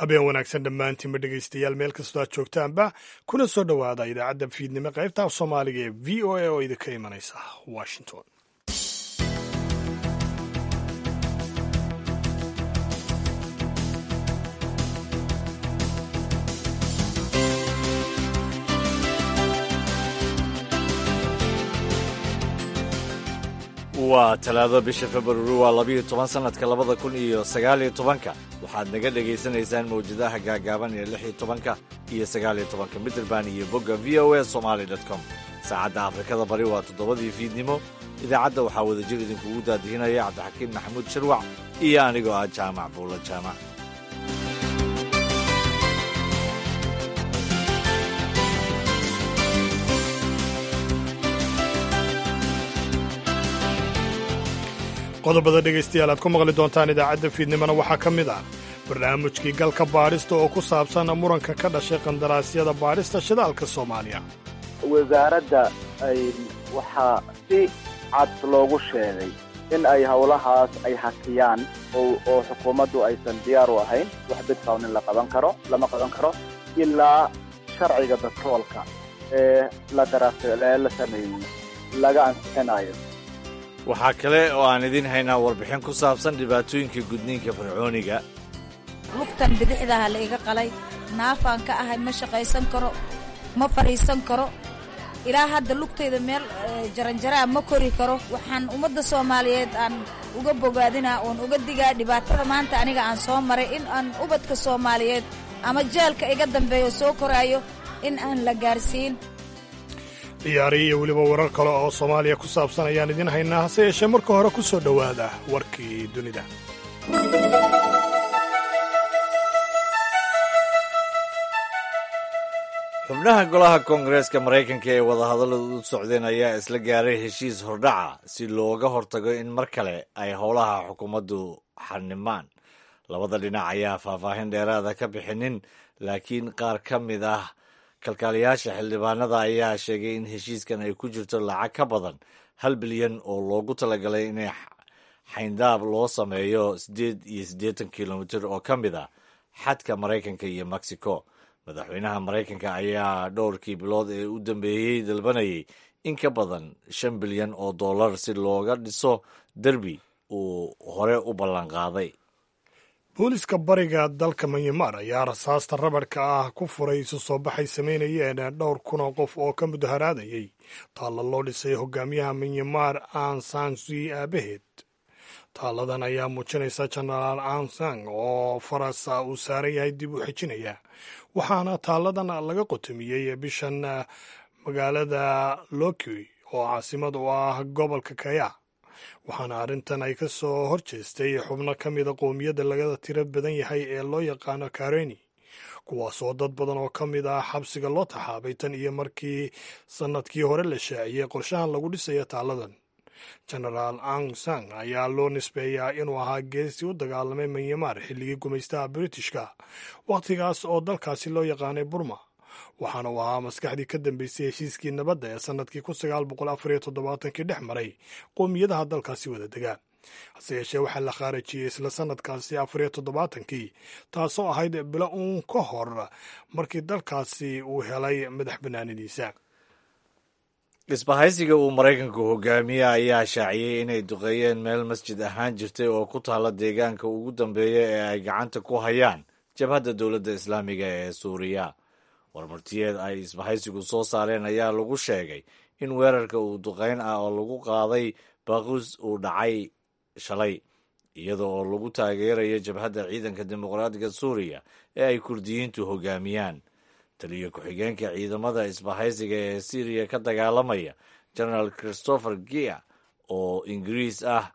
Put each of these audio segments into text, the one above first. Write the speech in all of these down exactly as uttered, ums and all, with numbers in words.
Habeen wanaagsan dhammaantiinba dhegaystayaal, meel kastoo aad joogtaanba, kuna soo dhowaada idaacadda fiidnimo qaybta af Soomaaliga ee V O A oo idinka imanaysa Washington. Waa Talaado, bisha Februari waa labiyo toban, sanadka labada kun iyo sagaaliyo tobanka. Waxaad naga dhagaysanaysaan mawjadaha gaagaaban ee lix iyo tobanka iyo sagaaliyo tobanka mitirban iyo bogga V O A Somali com. Saacadda Afrikada Bari waa toddobadii fiidnimo. Idaacadda waxaa wadajir idinkugu daadihinaya Cabdixakiin Maxamuud Sharwac iyo anigoo ah Jaamac Buulla Jaamac. Qodobada dhegaystayaal aad ku maqli doontaan idaacadda fiidnimona waxaa ka mid ah barnaamijkii galka baadhista oo ku saabsan muranka ka dhashay qandaraasyada baadhista shidaalka Soomaaliya. Wasaaradda ay waxaa si cad loogu sheegay in ay howlahaas ay hakiyaan oo xukuumaddu aysan diyaar u ahayn. Wax bidqawn in la qaban karo lama qaban karo ilaa sharciga batroolka ee la daraasee la sameeyey laga ansixinayo. Waxaa kale oo aan idiin haynaa warbixin ku saabsan dhibaatooyinka gudniinka fircooniga. Lugtan bidixdaha la iga qalay, naafaan ka ahay, ma shaqaysan karo, ma fadhiisan karo. Ilaa hadda lugtayda meel jaranjaraa ma kori karo. Waxaan ummadda Soomaaliyeed aan uga bogaadinaa oon uga digaa dhibaatada maanta aniga aan soo maray, in aan ubadka Soomaaliyeed ama jeelka iga dambeeyo soo koraayo in aan la gaarsiin. Ciyaarihi iyo weliba warar kale oo Soomaaliya ku saabsan ayaan idiin haynaa, hase yeeshee marka hore ku soo dhowaada warkii dunida. Xubnaha golaha koongareeska Maraykanka ee wadahadalladu u socdeen ayaa isla gaaray heshiis hordhaca si looga hortago in mar kale ay howlaha xukuumaddu xanimaan. Labada dhinac ayaa faahfaahin dheeraada ka bixinin, laakiin qaar ka mid ah kalkaaliyaasha xildhibaanada ayaa sheegay in heshiiskan ay ku jirto lacag ka badan hal bilyan oo loogu talagalay inay xayndaab loo sameeyo siddeed iyo siddeetan kilomitir oo ka mid ah xadka Maraykanka iyo Mexico. Madaxweynaha Maraykanka ayaa dhowrkii bilood ee u dambeeyey dalbanayay in ka badan shan bilyan oo dollar si looga dhiso derbi uu hore u ballanqaaday. Booliska bariga dalka Myanmar ayaa rasaasta rabadhka ah ku furay isu soo baxay samaynayeen dhowr kun oo qof oo ka mudaharaadayay taalla loo dhisay hogaamiyaha Myanmar Aung San Suu aabaheed. Taalladan ayaa muujinaysa Jenaraal Aung San oo farasa uu saaran yahay dib u xejinaya, waxaana taalladan laga qotomiyey bishan magaalada Loki oo caasimad u ah gobolka Kaya, waxaana arrintan ay ka soo hor jeestay xubno ka mida qowmiyadda laga tiro badan yahay ee loo yaqaano Kareni, kuwaasoo dad badan oo ka mid ah xabsiga loo taxaabay tan iyo markii sannadkii hore la shaaciyey qorshahan lagu dhisayo taalladan. Jenaraal Aung San ayaa loo nisbeeyaa inuu ahaa geesi u dagaalamay Myanmar xilligii gumaystaha Britishka, wakhtigaas oo dalkaasi loo yaqaanay Burma, waxaana uu ahaa maskaxdii ka dambeysay heshiiskii nabadda ee sannadkii kun sagaal boqol afar iyo toddobaatankii dhex maray qowmiyadaha dalkaasi wada degaa. Hase yeeshee waxaa la khaarajiyey isla sannadkaasi afar iyo toddobaatankii, taasoo ahayd bilo uun ka hor markii dalkaasi uu helay madax bannaanidiisa. Isbahaysiga uu Maraykanku hogaamiye ayaa shaaciyey inay duqeeyeen meel masjid ahaan jirtay oo ku taalla deegaanka ugu dambeeya ee ay gacanta ku hayaan Jabhadda Dowladda Islaamiga ee Suuriya. Warmartiyeed ay isbahaysigu soo saareen ayaa lagu sheegay in weerarka uu duqeyn ah oo lagu qaaday Baaquus uu dhacay shalay, iyada oo lagu taageerayo Jabhadda Ciidanka Dimuqraadiga Suuriya ee ay Kurdiyiintu hogaamiyaan. Taliyo ku-xigeenka ciidamada isbahaysiga ee Syriya ka dagaalamaya, Generaal Christopher Gia oo Ingiriis ah,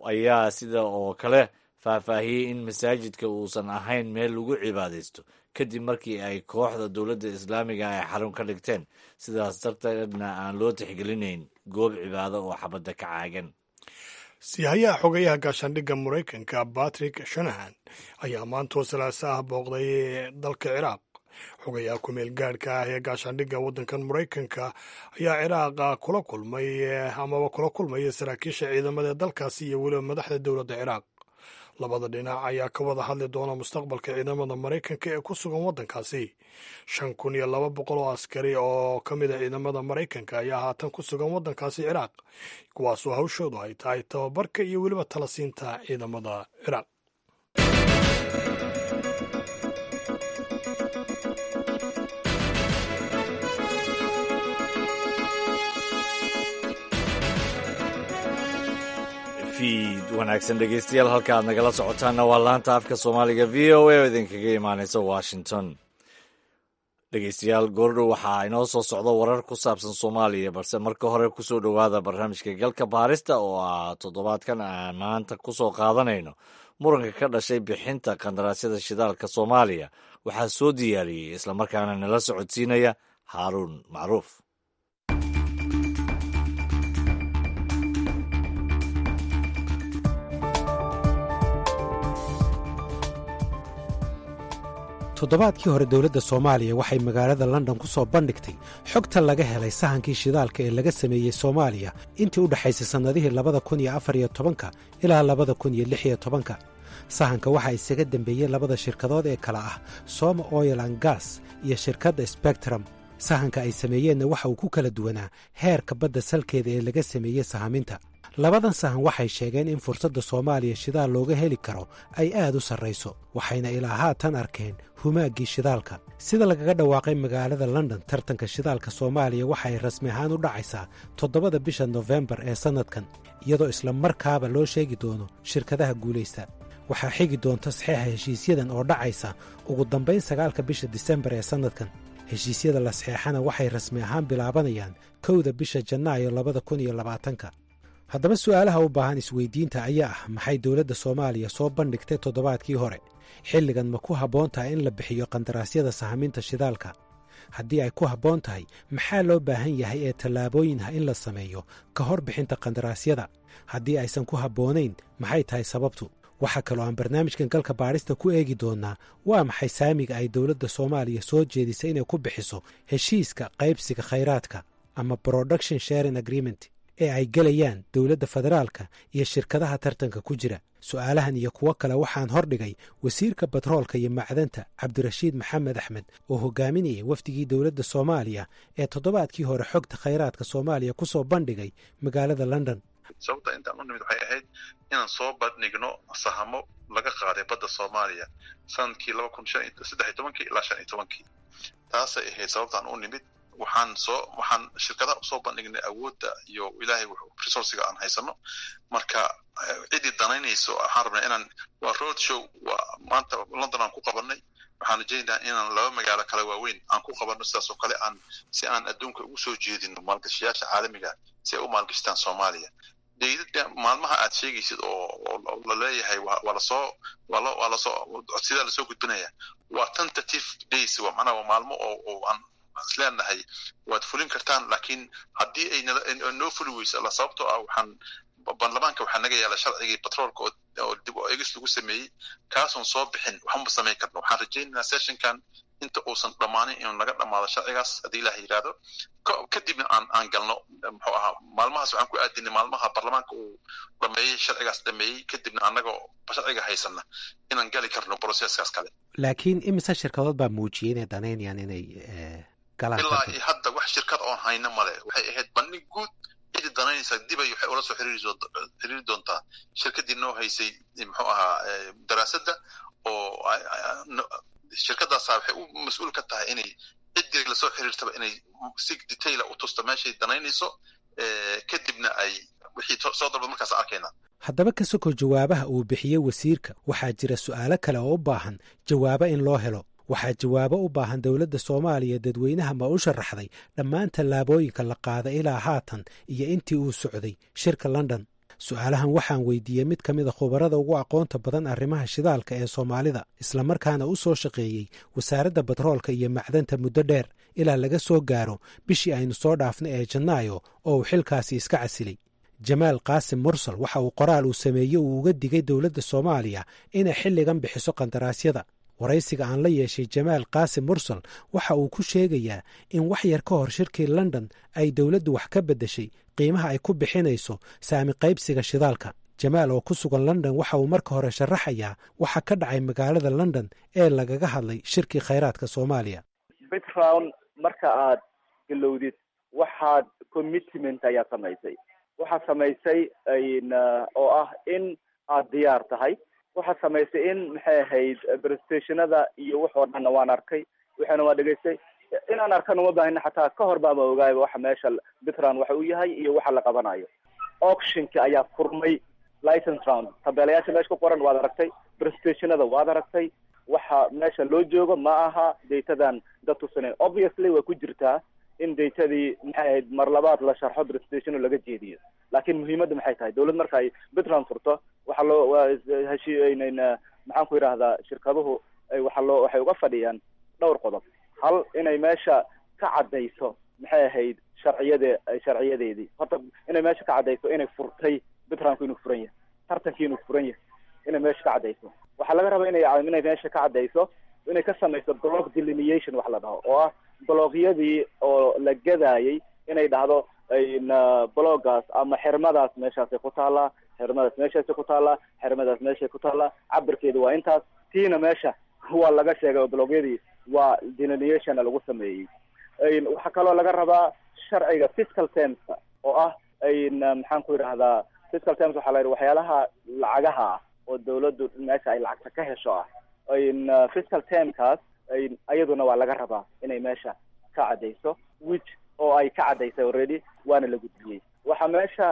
ayaa sida oo kale faahfaahiyey in masaajidka uusan ahayn meel lagu cibaadaysto kadib markii ay kooxda Dowladda Islaamiga ay xarun ka dhigteen, sidaas darteedna aan loo tixgelinayn goob cibaado oo xabadda ka caagan. Siihayaha xogayaha gaashaandhigga Maraykanka Patrick Shanahan ayaa maantoo Salaasa ah booqday dalka Ciraaq. Xogayaha ku-meel gaadhka ah ee gaashaandhigga waddankan Maraykanka ayaa Ciraaqa kula kulmay amaba kula kulmaya saraakiisha ciidamada dalkaasi iyo weliba madaxda dowladda Ciraaq. Labada dhinac ayaa ka wada hadli doona mustaqbalka ciidamada Maraykanka ee ku sugan waddankaasi. Shan kun iyo laba boqol oo askari oo ka mid a ciidamada Maraykanka ayaa haatan ku sugan waddankaasi Ciraaq, kuwaasoo hawshoodu ay tahay tababarka iyo weliba talasiinta ciidamada Ciraaq. Fiid wanaagsan dhegeystayaal, halka aad nagala socotaanna waa laanta afka Soomaaliga V O A oo idinkaga imaaneysa Washington. Dhegeystayaal, goordhow waxaa inoo soo socda warar ku saabsan Soomaaliya, balse marka hore kusoo dhowaada barnaamijka Galka Baarista oo ah toddobaadkan aan maanta kusoo qaadanayno muranka ka dhashay bixinta qandaraasyada shidaalka Soomaaliya. Waxaa soo diyaariyey islamarkaana nala socodsiinaya Haaruun Macruuf. Toddobaadkii hore dowladda Soomaaliya waxay magaalada London ku soo bandhigtay xogta laga helay sahankii shidaalka ee laga sameeyey Soomaaliya intii u dhexaysay sannadihii labada kun iyo afar iyo tobanka ilaa labada kun iyo lix iyo tobanka. Sahanka waxaa isaga dembeeyey labada shirkadood ee kale ah Soma Oil and Gas iyo shirkadda Spectrum. Sahanka ay sameeyeenna waxa uu ku kala duwanaa heerka badda salkeeda ee laga sameeyey sahaminta. Labadan sahan waxay sheegeen in fursadda Soomaaliya shidaal looga heli karo ay aad u sarrayso, waxayna ilaa haatan arkeen humaaggii shidaalka. Sida lagaga dhawaaqay magaalada London, tartanka shidaalka Soomaaliya waxa ay rasmi ahaan u dhacaysaa toddobada bisha Nofembar ee sannadkan, iyadoo isla markaaba loo sheegi doono shirkadaha guulaysta. Waxaa xigi doonta saxeexa heshiisyadan oo dhacaysa ugu dambayn sagaalka bisha Disembar ee sannadkan. Heshiisyada la saxeexana waxay rasmi ahaan bilaabanayaan kowda bisha Janaayo labada kun iyo labaatanka. Haddaba su'aalaha u baahan isweydiinta ayaa ah: maxay dowladda Soomaaliya soo bandhigtay toddobaadkii hore? Xilligan ma ku habboon tahay in la bixiyo qandaraasyada sahaminta shidaalka? Haddii ay ku habboon tahay, maxaa loo baahan yahay ee tallaabooyin ah in la sameeyo ka hor bixinta qandaraasyada? Haddii aysan ku habboonayn, maxay tahay sababtu? Waxaa kaloo aan barnaamijkan Galka Baadhista ku eegi doonnaa: waa maxay saamiga ay dowladda Soomaaliya soo jeedisay inay ku bixiso heshiiska qaybsiga khayraadka ama production sharing agreement ee ay gelayaan dowladda federaalka iyo shirkadaha tartanka ku jira? Su'aalahan iyo kuwo kale waxaan hordhigay wasiirka batroolka iyo macdanta, Cabdirashiid Maxamed Axmed, oo hogaaminayay wafdigii dowladda Soomaaliya ee toddobaadkii hore xogta khayraadka Soomaaliya ku soo bandhigay magaalada London. Sababta intaan u nimid waxay ahayd inaan soo bandhigno sahamo laga qaaday badda Soomaaliya sanadkii laba kun shan saddex iyo tobankii ilaa shan iyo tobankii. Taasay ahayd sababtaan u nimid. Waxaan soo waxaan shirkadaha usoo bandhignay awoodda iyo Ilaahay resource-iga aan haysano. Marka ciddii danaynayso waxaan rabnaa inaan, waa road show, waa maanta London aan ku qabanay. Waxaan rajaynayaa inaan laba magaalo kale waaweyn aan ku qabanno sidaas oo kale, aan si aan adduunka ugu soo jeedino maalgashayaasha caalamiga si ay u maalgashtaan Soomaaliya. Daydada maalmaha aad sheegaysid oo oo la leeyahay waa lasoo waa lo waa lasoo codsidaa lasoo gudbinaya waa tentative days, waa macnaha waa maalmo oo oo aan isleenahay waad fulin kartaan, laakiin haddii ay noo fuli weyso la, sababtoo ah waxaan baarlamaanka waxaa naga yaala sharcigii batroolka oo dib u eegis lagu sameeyey, kaasoon soo bixin waxma samayn karno. Waxaan rajaynaynaa session-kan inta uusan dhammaanin inuu naga dhammaado sharcigaas, haddii Ilaah yidhaahdo, kadibna aan aan galno. Muxuu ahaa, maalmahaas waxaan ku aadinay maalmaha baarlamaanka uu dhameeyey sharcigaas dhameeyey, kadibna annagoo sharciga haysana inaan gali karno process-kaas kale. Laakiin imise shirkadood baa muujiyey inay danaynayaan inay galaan? Ilaa iyo hadda wax shirkad oon hayno male. Waxay ahayd bandhig guud. Cidii danaynaysa dibay waxay ula soo xiriiri xiriiri doontaa shirkaddii noo haysay, muxuu ahaa, daraasadda, oo shirkaddaasa waxay u mas-uul ka tahay inay ciddii lasoo xiriirtaba inay si detail ah u tusto meeshay danaynayso, kadibna ay wixii soo dalba markaas arkayna. Haddaba ka soko jawaabaha uu bixiyey wasiirka, waxaa jira su'aalo kale oo u baahan jawaabo in loo helo. Waxaa jawaabo u baahan: dowladda Soomaaliya dadweynaha ma u sharaxday dhammaan tallaabooyinka la qaaday ilaa haatan iyo intii uu socday shirka London? Su'aalahan waxaan weydiiyey mid ka mid a khubarada ugu aqoonta badan arrimaha shidaalka ee Soomaalida, islamarkaana u soo shaqeeyey wasaaradda batroolka iyo macdanta muddo dheer ilaa laga soo gaaro bishii aynu soo dhaafnay ee Janaayo oo uu xilkaasi iska casilay, Jamaal Qaasim Mursal. Waxa uu qoraal uu sameeyey uu uga digay dowladda Soomaaliya inay xilligan bixiso qandaraasyada. Waraysiga aan la yeeshay Jamaal Qaasim Mursal waxa uu ku sheegayaa in wax yar ka hor shirkii London ay dowladdu wax ka beddeshay qiimaha ay ku bixinayso saami qaybsiga shidaalka. Jamaal oo ku sugan London waxa uu marka hore sharaxayaa waxa ka dhacay magaalada London ee lagaga hadlay shirkii khayraadka Soomaaliya. Bid round marka aad galowdid, waxaad commitment ayaa samaysay, waxaad samaysay oo ah in aad diyaar tahay. Waxaad samaysay in, maxay ahayd, presentationada iyo wax oo dhanna waan arkay, waxaana waan dhegaystay. Inaan arkana uma baahina, xataa ka hor baama ogaayba waxa meesha bid round waxa uu yahay iyo waxa la qabanayo. Auctionka ayaa furmay, license round, tabeelayaasha meesha ku qoran waad aragtay, presentationada waad aragtay. Waxa meesha loo joogo ma aha datadan dad tusinayn. Obviously way ku jirtaa in datadii, maxay ahayd, mar labaad la sharxo, presentation laga jeediyo, laakiin muhiimadda maxay tahay? Dawlad marka ay bid round furto, waxaa loo heshiinayna, maxaan ku yidhaahdaa, shirkaduhu waxa loo waxay uga fadhiyaan dhowr qodob. Hal, inay meesha ka caddayso, maxay ahayd, sharciyade sharciyadeedii. Horta inay meesha ka caddayso inay furtay bid roundku, inuu furan yahay tartankii, inuu furan yahay inay meesha ka caddayso. Waxaa laga rabaa inay inay meesha ka caddayso inay ka samayso block delineation wax la dhaho, oo ah blockyadii oo la gadaayay inay dhahdo blockaas ama xirmadaas meeshaasay ku taallaa, xirmadaas meeshaasay ku taallaa, xirmadaas meeshay ku taallaa, cabirkeedu waa intaas. Tiina meesha waa laga sheegay oo blockyadii waa delineationna lagu sameeyey. Waxaa kaloo laga rabaa sharciga fiscal termska oo ah, maxaan ku yidhahdaa, fiscal terms waxaa la yidhi waxyaalaha lacagaha ah oo dawladdu meesha ay lacagta ka hesho ah. Fiscal termkaas ayaduna waa laga rabaa inay meesha ka caddayso, which oo ay ka caddaysay already, waana la gudbiyey. Waxaa meesha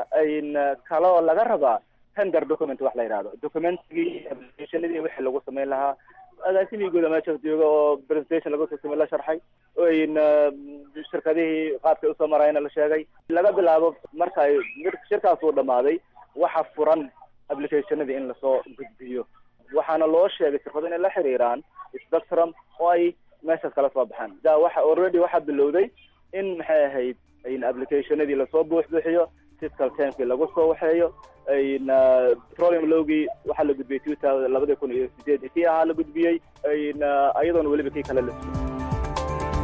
kaloo laga rabaa tender document wax la yidhahdo, documentigii, applicationadii wixii lagu samayn lahaa. Agaasimigooda meesha jooga oo presentation laga soo samey la sharxay, shirkadihii qaabkay usoo marayna la sheegay. Laga bilaabo marka ay shirkaas uu dhamaaday, waxa furan applicationadii in lasoo gudbiyo, waxaana loo sheegay shirkado inay la xiriiraan Spectrum oo ay meeshaas kala soo baxaan. Da waxa already waxaa bilowday in, maxay ahayd, in applicationadii lasoo buuxbuuxiyo, fiscal termkii lagu soo waxeeyo. Petroleum lawgii waxaa la gudbiyey two thousand labadii kun iyo sideed kii ahaa la gudbiyey, iyadoona weliba kii kale la sugay.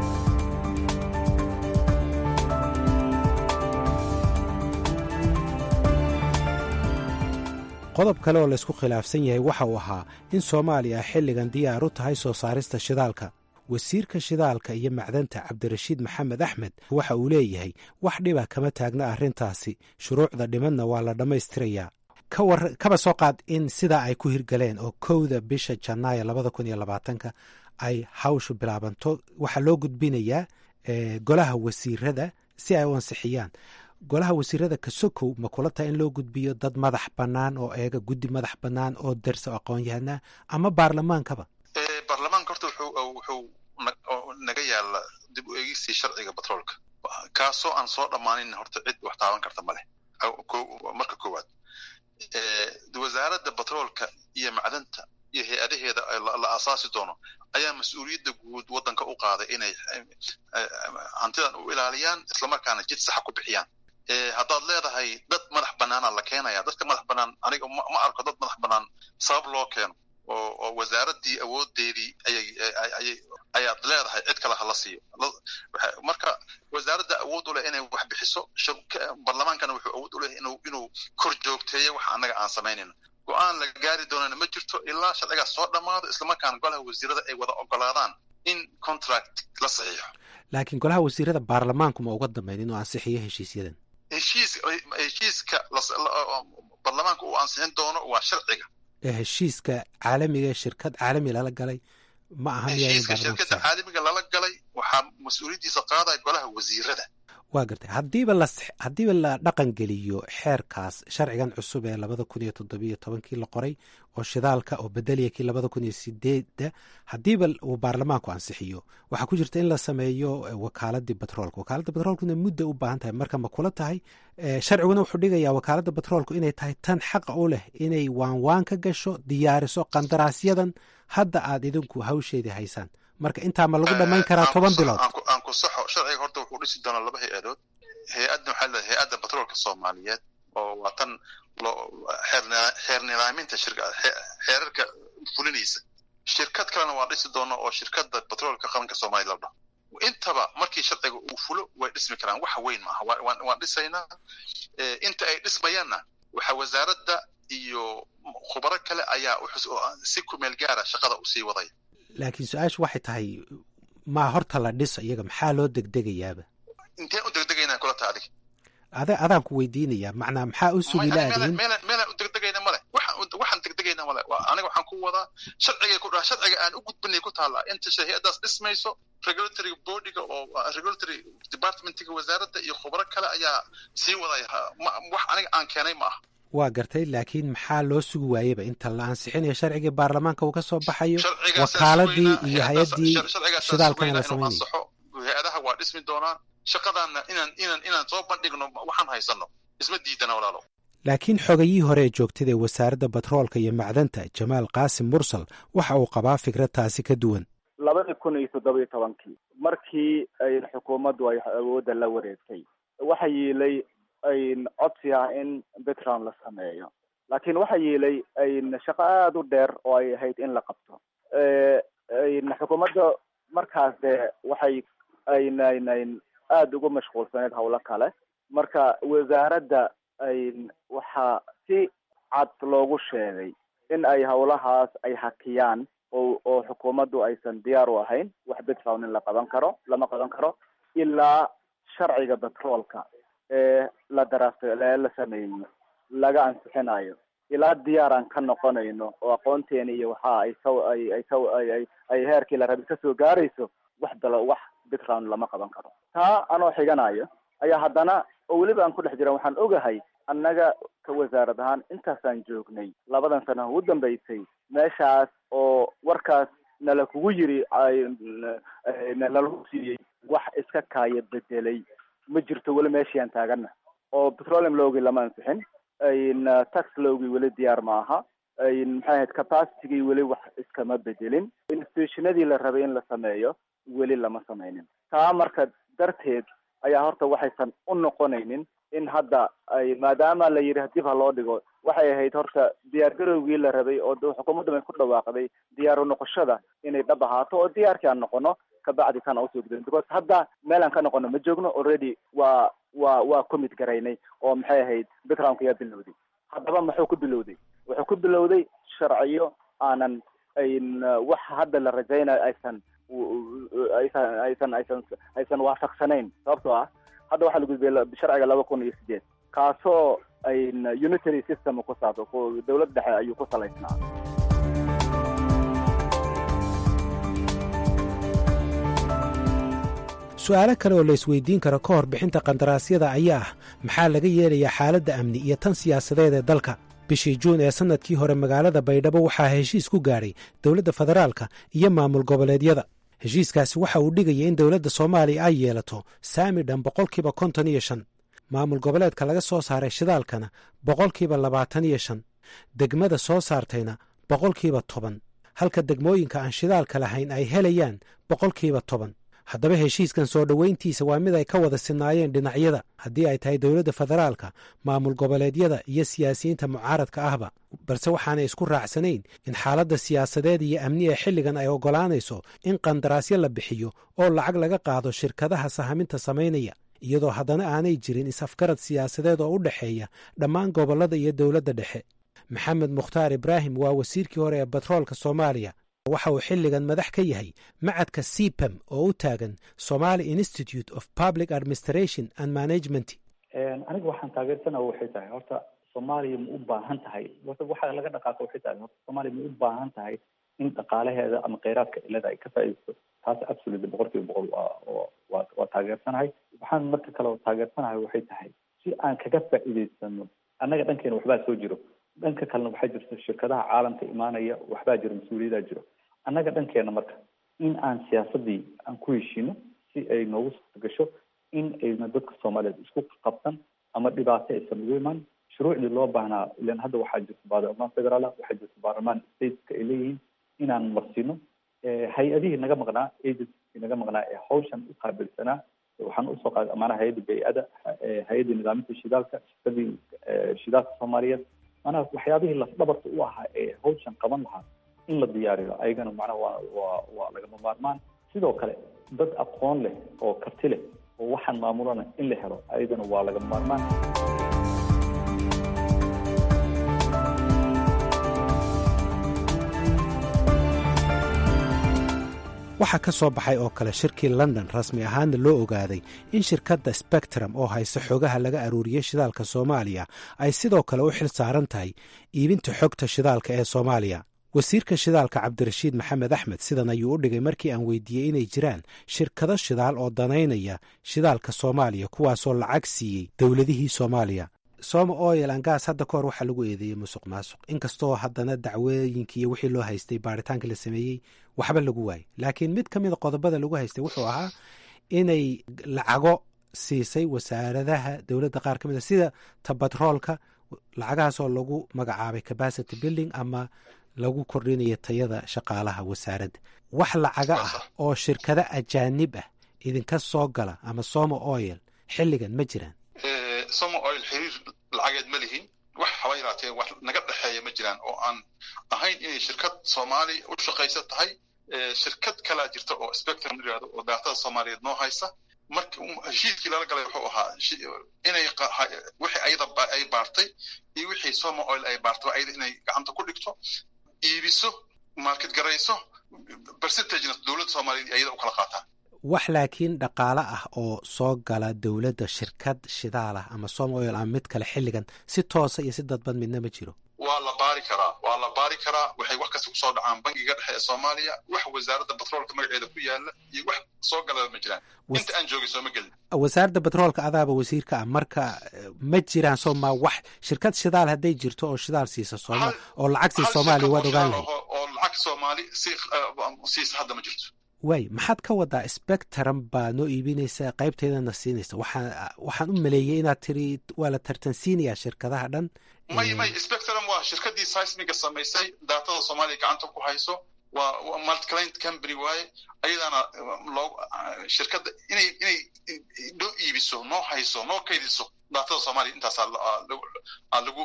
Qodob kale oo laysku khilaafsan yahay waxa uu ahaa in Soomaaliya xilligan diyaar u tahay soo saarista shidaalka. Wasiirka shidaalka iyo macdanta Cabdirashiid Maxamed Axmed waxa uu leeyahay wax dhiba kama taagna arrintaasi, shuruucda dhimanna waa la dhammaystirayaa. Kawar kaba soo qaad in sidaa ay ku hirgaleen oo kowda bisha Janaayo labada kun iyo labaatanka ay hawshu bilaabanto, waxaa loo gudbinayaa golaha wasiirada si ay u ansixiyaan. Golaha wasiirada kasokow, ma kula tahay in loo gudbiyo dad madax bannaan oo eega, guddi madax bannaan oo dersa aqoon-yahanaa, ama baarlamaankaba? Baarlamaanka horta wuxuu wuxuu naga yaala dib u eegistii sharciga batroolka, kaasoo aan soo dhammaanin. Horta cid wax taaban karta ma leh. Marka koowaad, Wasaaradda Batroolka iyo Macdanta iyo hay-adaheeda la aasaasi doono ayaa mas-uuliyadda guud waddanka u qaaday inay hantidan u ilaaliyaan, islamarkaana jid saxa ku bixiyaan. Haddaad leedahay dad madax bannaana la keenaya, dadka madax bannaan aniga ma arko dad madax bannaan sabab loo keeno oo oo wasaaraddii awoodeedii ayay ayay ayaad leedahay cid kale hala siiyo. Marka wasaaradda awood u leh inay wax bixiso, baarlamaankana wuxuu awood u leh inuu inuu kor joogteeyo waxa annaga aan samaynayno. Go-aan la gaari doonana ma jirto ilaa sharcigaas soo dhammaado, islamarkaana golaha wasiirada ay wada ogolaadaan in contract la saxiixo. Laakiin golaha wasiirada baarlamaanku ma uga dambeyn inuu ansixiyo heshiisyadan? Heshiis heshiiska baarlamaanka uu ansixin doono waa sharciga. Heshiiska caalamiga, shirkad caalami lala galay ma aha? Heshiiska shirkadda caalamiga lala galay waxaa mas-uuliyaddiisa qaadaya golaha wasiirada. Waa gartay. Haddiiba la haddiiba la dhaqan geliyo xeerkaas, sharcigan cusub ee labada kun iyo toddobiyo tobankii la qoray oo shidaalka oo bedeliya kii labada kun iyo sideedda, haddiiba uu baarlamaanku ansixiyo, waxaa ku jirta in la sameeyo wakaaladii batroolka. Wakaaladda batroolkuna mudda u baahan tahay. Marka ma kula tahay, sharciguna wuxuu dhigayaa wakaaladda batroolku inay tahay tan xaqa u leh inay waanwaan ka gasho, diyaariso qandaraasyadan hadda aad idinku hawsheedii haysaan, marka intaa ma lagu dhammayn karaa toban bilood? Aan ku saxo. Sharciga horta wuxuu dhisi doonaa laba hay-adood. Hay-adna waxaa leedahay Hay-adda Batroolka Soomaaliyeed, oo waa tan loo xeer nidaaminta shirka, xeerarka fulinaysa. Shirkad kalena waa dhisi doona oo Shirkadda Batroolka Qaranka Soomaaliya la dhaho. Intaba markii sharciga uu fulo way dhismi karaan, wax weyn maaha. Waan dhisaynaa. Inta ay dhismayaanna waxaa wasaaradda iyo khubaro kale ayaa si kumeel gaara shaqada usii waday. Laakiin su-aashu waxay tahay, maa horta la dhiso iyaga, maxaa loo degdegayaaba? Inteen u degdegaynaa kula ta adig? Ada adaan ku weydiinayaa, macnaa maxaa u sugi laadiin? Meelaan u degdegayna male, waxaan degdegayna male. Aniga waxaan ku wadaa sharciga ku dhaha, sharciga aan u gudbinay ku taallaa inta hay-addaas dhismayso, regulatory bodyga oo regulatory departmentiga wasaaradda iyo khubaro kale ayaa sii wadaya. Wax aniga aan keenay ma aha. Waa gartay, laakiin maxaa loo sugi waayeba inta la ansixinayo sharcigii baarlamaanka uu ka soo baxayo, wakaaladii iyo hay-addii shidaalkana la samaynayo? Hay-adaha waa dhismi doonaa, shaqadaana inaan inaan inaan soo bandhigno waxaan haysano isma diidana, walaalo. Laakiin xogayihii hore ee joogtada ee wasaaradda batroolka iyo macdanta, Jamaal Qaasim Mursal, waxa uu qabaa fikrad taasi ka duwan. Labadii kun iyo toddoba iyo tobankii markii ay xukuumaddu ay awoodda la wareegtay, waxa yiilay codsi ah in bitron la sameeyo, laakiin waxa yiilay shaqo aada u dheer oo ay ahayd in la qabto. Xukuumadda markaas dee waxay aynayn aada ugu mashquulsaneyd howlo kale. Marka wasaaradda waxaa si cad loogu sheegay in ay howlahaas ay hakiyaan oo oo xukuumaddu aysan diyaar u ahayn wax bitron in la qaban karo, lama qaban karo ilaa sharciga batroolka ee la daraafta la sameeyo laga ansixinayo, ilaa diyaar aan ka noqonayno oo aqoonteena iyo waxa ay saw ay ay saw ay ay ay heerkii la rabay kasoo gaarayso, wax dalo wax bitron lama qaban karo. Taa anoo xiganayo ayaa haddana oo weliba aan ku dhex jiran, waxaan ogahay annaga ka wasaarad ahaan intaasaan joognay labadan sano ugu dambeysay meeshaas oo warkaas nala kugu yiri nalagu siiyey, wax iska kaaya bedelay ma jirto. Weli meeshiaan taagana oo petroleum lowgii lama ansixin, tax lowgii weli diyaar ma aha, maxay ahayd, capacitygii weli wax iskama bedelin, institutionadii la rabay in la sameeyo weli lama sameynin. Taa marka darteed ayaa horta waxaysan u noqonaynin in hadda ay, maadaama la yidhi dib ha loo dhigo, waxay ahayd horta diyaargarowgii la rabay oo xukuumaddu ay ku dhawaaqday diyaaru noqoshada inay dhab ahaato oo diyaarkii aan noqono, kabacdi kana usoo gudbin, because hadda meel aan ka noqono ma joogno. Already waa waa waa commit garaynay oo maxay ahayd, bitronka yaa bilowday. Haddaba muxuu ku bilowday? Wuxuu ku bilowday sharciyo aanan ayn wax hadda la rajaynayo aysan aysan aysan aysan aysan waafaqsanayn, sababtoo ah hadda waxaa la gudbiyay sharciga laba kun iyo sideed kaasoo ayn unitary system ku saabsan, dowlad dhexe ayuu ku salaysnaa. Su-aalo kale oo la isweydiin karo ka hor bixinta qandaraasyada ayaa ah, maxaa laga yeelayaa xaaladda amni iyo tan siyaasadeed ee dalka? Bishii Juun ee sannadkii hore magaalada Baydhabo waxaa heshiis ku gaadhay dowladda federaalka iyo maamul goboleedyada. Heshiiskaasi waxa uu dhigaya in dowladda Soomaaliya ay yeelato saami dhan boqolkiiba konton iyo shan, maamul goboleedka laga soo saaray shidaalkana boqolkiiba labaatan iyo shan, degmada soo saartayna boqolkiiba toban, halka degmooyinka aan shidaalka lahayn ay helayaan boqolkiiba toban. Haddaba heshiiskan soo dhoweyntiisa waa mid ay ka wada sinaayeen dhinacyada, haddii ay tahay dowladda federaalka, maamul goboleedyada iyo siyaasiyiinta mucaaradka ahba, balse waxaanay isku raacsanayn in xaaladda siyaasadeed iyo amni ee xilligan ay oggolaanayso in qandaraasyo la bixiyo oo lacag laga qaado shirkadaha sahaminta samaynaya, iyadoo haddana aanay jirin is-afgarad siyaasadeed oo u dhexeeya dhammaan gobollada iyo dowladda dhexe. Maxamed Mukhtaar Ibraahim waa wasiirkii hore ee batroolka Soomaaliya. Waxa uu xilligan madax ka yahay macadka C P A M oo u taagan Somali Institute of Public Administration and Management. Aniga waxaan taageersana waxay tahay, horta Soomaaliya ma u baahan tahay? Horta waxa laga dhaqaaqo waxay tahay, horta Soomaaliya ma u baahan tahay in dhaqaalaheeda ama kheyraadka ilada ay ka faa'iidaysto? Taas absolutely, boqol kiiba boqol waa waa waa taageersanahay. Waxaan marka kale oo taageersanahay waxay tahay si aan kaga faa'iidaysano annaga dhankeena waxbaa soo jiro, dhanka kalena waxaa jirta shirkadaha caalamka imaanaya, waxbaa jiro, mas-uuliyadaa jiro annaga dhankeena. Marka in aan siyaasadii aan ku heshiino si ay noogu suurta gasho in ayna dadka Soomaaliyeed isku qabsan ama dhibaato aysan ugu imaan shuruucdii loo baahnaa. Ilan hadda waxaa jirta baarlamaan federaal, waxaa jirta baarlamaan stateska ay leeyihiin, inaan marsiino hay-adihii naga maqnaa, agency naga maqnaa ee hawshan u qaabilsanaa. Waxaan usoo qaaday maanaha hay-adda bay-ada, hay-adda nidaaminta shidaalka, shirkadii shidaalka Soomaaliyeed, maanaha waxyaabihii lafdhabarta u ahaa ee hawshan qaban lahaa in la diyaariyo ayagana macnaha waa waa waa lagama maarmaan. Sidoo kale dad aqoon leh oo karti leh oo waxaan maamulana in la helo ayagana waa lagama maarmaan. Waxaa ka soo baxay oo kale shirkii London rasmi ahaanna loo ogaaday in shirkadda Spectrum oo haysa xogaha laga aruuriyey shidaalka Soomaaliya ay sidoo kale u xil saaran tahay iibinta xogta shidaalka ee Soomaaliya. Wasiirka shidaalka Cabdirashiid Maxamed Axmed sidan ayuu u dhigay markii aan weydiiyey inay jiraan shirkado shidaal oo danaynaya shidaalka Soomaaliya, kuwaasoo lacag siiyey dowladihii Soomaaliya. Soma Oil and Gas hadda ka hor waxaa lagu eedeeyey musuq maasuq, inkastoo haddana dacwooyinkii iyo wixii loo haystay baaritaanka la sameeyey waxba lagu waayey. Laakiin mid ka mida qodobada lagu haystay wuxuu ahaa inay lacago siisay wasaaradaha dowladda qaar ka mid a, sida tabatroolka, lacagahaasoo lagu magacaabay capacity building ama lagu kordhinayo tayada shaqaalaha wasaaradda. Wax lacaga ah oo shirkado ajaanib ah idinka soo gala ama Soma Oil xilligan ma jiraan? Soma Oil xiriir lacageed ma lihin. Wax haba yaraatee wax naga dhexeeya ma jiraan oo aan ahayn inay shirkad Soomaali u shaqaysa tahay. Shirkad kalaa jirta oo Spectrum la yihahdo oo daatada Soomaaliyeed noo haysa. Marka heshiiskii lala galay wuxuu ahaa inay wixii ayada ay baartay iyo wixii Soma Oil ay baartay ayada inay gacanta ku dhigto, iibiso, market garayso, percentagena dowladda Soomaaliyeed ayada u kala qaataan. Wax laakiin dhaqaale ah oo soo gala dowladda shirkad shidaal ah ama Soma Oil ama mid kale xilligan si toosa iyo si dadban midna ma jiro? Waa la baari karaa, waa la baari karaa. Waxay wax kasta kusoo dhacaan Bangiga Dhexe ee Soomaaliya. Wax Wasaaradda Batroolka magaceeda ku yaala iyo wax soo galaba ma jiraan inta aan joogay, sooma gelin. Wasaaradda Batroolka adaaba wasiirka ah, marka ma jiraan sooma wax shirkad shidaal hadday jirto oo shidaal siisa sooma oo lacag siisa Soomaaliya waad ogaan lahayd? Oo lacag Soomaali si siisa hadda ma jirto. Waay, maxaad ka wadaa Spectrum baa noo iibinaysa, qaybteedana siinaysa? Waxaan waxaan u maleeyey inaad tiri waa la tartansiinayaa shirkadaha dhan. May, may, Spectrum waa shirkadii seismiga samaysay, daatada Soomaaliya gacanta ku hayso. Waa multiclient company waaye. Ayadaana loo shirkadda inay inay noo iibiso, noo hayso, noo kaydiso daatada Soomaaliya. Intaasaa lagu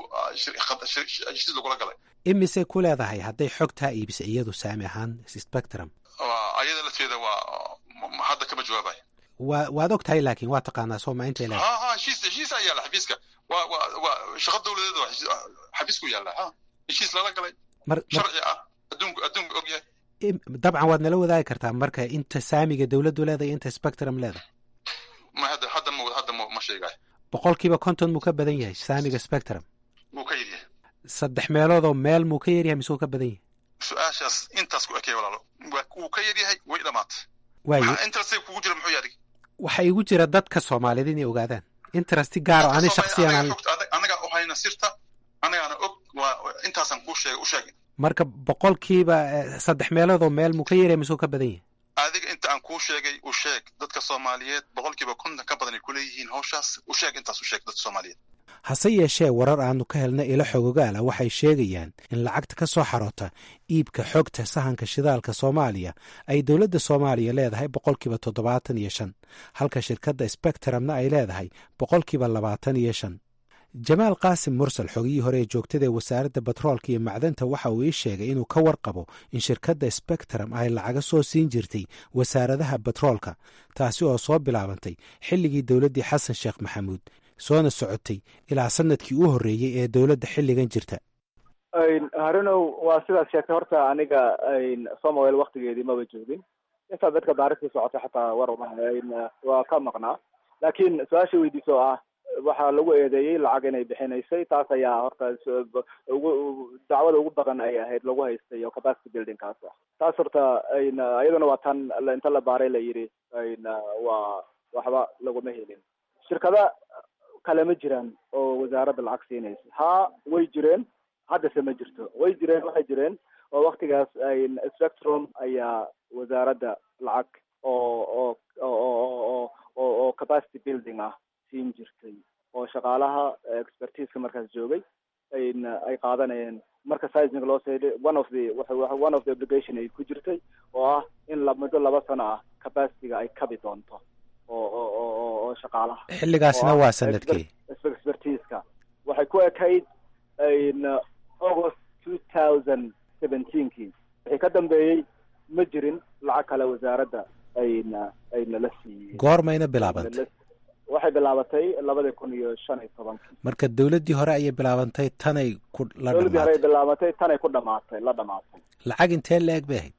heshiis lagula galay. Imisay ku leedahay hadday xogtaa iibisa iyadu saami ahaan Spectrum? Ayada lafteeda waa hadda kama jawaabayo. Wa waad og tahay, laakiin waa taqaanaa sooma intay leedahay? Ha ha, heshiis heshiis ayaa yaala xafiiska. Waa waa waa shaqo dowladeed, waa xafiisku yaalla. Ha, heshiis lala galay sharci ah, adduunku adduunku og yahay. Dabcan waad nala wadaagi kartaa marka inta saamiga dowladdu leedahay, inta Spectrum leedahay? Ma hadda hadda ma hadda ma ma sheegayo. Boqolkiiba konton muu ka badan yahay saamiga Spectrum? Wuu ka yaryahay. Saddex meeloodoo meel muu ka yaryahay mise wuu ka badan yahay? Su-aashaas intaas ku ekey, walaalo. Wuu ka yaryahay, way dhamaatay. Waayo. Interest kugu jira muxuu yahay? Waxa igu jira dadka Soomaaliyeed inay ogaadaan interest gaar oo ani shaksiyan aan Anagaa u hayna sirta, anagaana og. Waa intaasaan kuu sheegay, u sheegay. Marka boqolkiiba saddex meeloodoo meel muu ka yaryahay mise wuu ka badan yahay? Adiga inta aan kuu sheegay u sheeg dadka Soomaaliyeed. Boqolkiiba konton ka badan ay kuleeyihiin hawshaas. U sheeg intaas, u sheeg dadka Soomaaliyeed. Hase yeeshee warar aanu ka helnay ilo xogogaala waxay sheegayaan in lacagta ka soo xaroota iibka xogta sahanka shidaalka Soomaaliya ay dowladda Soomaaliya leedahay boqolkiiba toddobaatan iyo shan, halka shirkadda Spectrumna ay leedahay boqolkiiba labaatan iyo shan. Jamaal Qaasim Mursal, xogiyii hore ee joogtada ee Wasaaradda Batroolka iyo Macdanta, waxa uu ii sheegay inuu ka warqabo in shirkadda Spectrum ay lacaga soo siin jirtay wasaaradaha batroolka, taasi oo soo bilaabantay xilligii dowladdii Xasan Sheekh Maxamuud, soona socotay ilaa sanadkii u horreeyey ee dowladda xilligan jirta. Harunow, waa sidaas sheegtay. Horta aniga Soma Oil waktigeedii maba joogin. Intaa dadka baaristii socotay xataa war uma waa ka maqnaa. Laakiin su-aasha weydiiso ah waxaa lagu eedeeyey lacag inay bixinaysay, taas ayaa horta ugu dacwada ugu badan ay ahayd lagu haystay oo capacity building kaas ah. Taas horta iyaduna waa tan inta la baaray la yidhi waa waxba laguma helin. Shirkada kale ma jiraan oo wasaaradda lacag siinaysa? Haa, way jireen, haddase ma jirto. Way jireen, waxay jireen oo waktigaas Spectrum ayaa wasaaradda lacag oo oo oo oo oo oo capacity building ah siin jirtay oo shaqaalaha expertiseka markaas joogay ay qaadanayeen. Marka seismic loo seeday, one of the one of the obligation ay ku jirtay oo ah in la muddo laba sano ah capacityga ay kabi doonto oo oo oo oo shaqaalaha. Xilligaasna waa sanadkii? Expertiseka waxay ku ekayd August two thousand seventeenkii. Wixii ka dambeeyey ma jirin lacag kale wasaaradda ayna ayna la siiyey. Goormayna bilaabantay? Waxay bilaabatay labadii kun iyo shan iyo tobankii. Marka dowladdii hore ayay bilaabantay, tanay ku la Dowladdii hore ay bilaabatay, tanay ku dhamaatay, la dhamaatay. Lacag intee la-eg bay ahayd?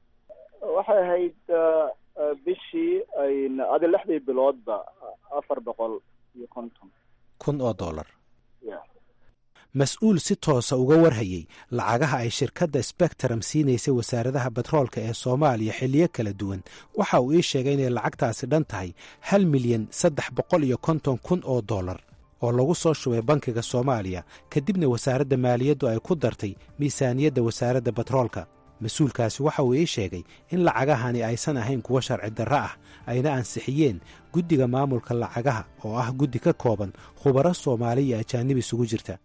Waxay Waxay ahayd bishii adi lixdii biloodba afar boqol iyo konton kun oo dollar. Mas-uul si toosa uga warhayey lacagaha ay shirkadda Spectrum siinaysay wasaaradaha batroolka ee Soomaaliya xilliyo kala duwan waxa uu ii sheegay inay lacagtaasi dhan tahay hal milyan saddex boqol iyo konton kun oo dollar oo lagu soo shubay bankiga Soomaaliya, kadibna wasaaradda maaliyaddu ay ku dartay miisaaniyadda wasaaradda batroolka. Mas-uulkaasi waxa uu ii sheegay in lacagahani aysan ahayn kuwo sharci darro ah, ayna ansixiyeen guddiga maamulka lacagaha oo ah guddi ka kooban khubaro Soomaali iyo ajaanib isugu jirta.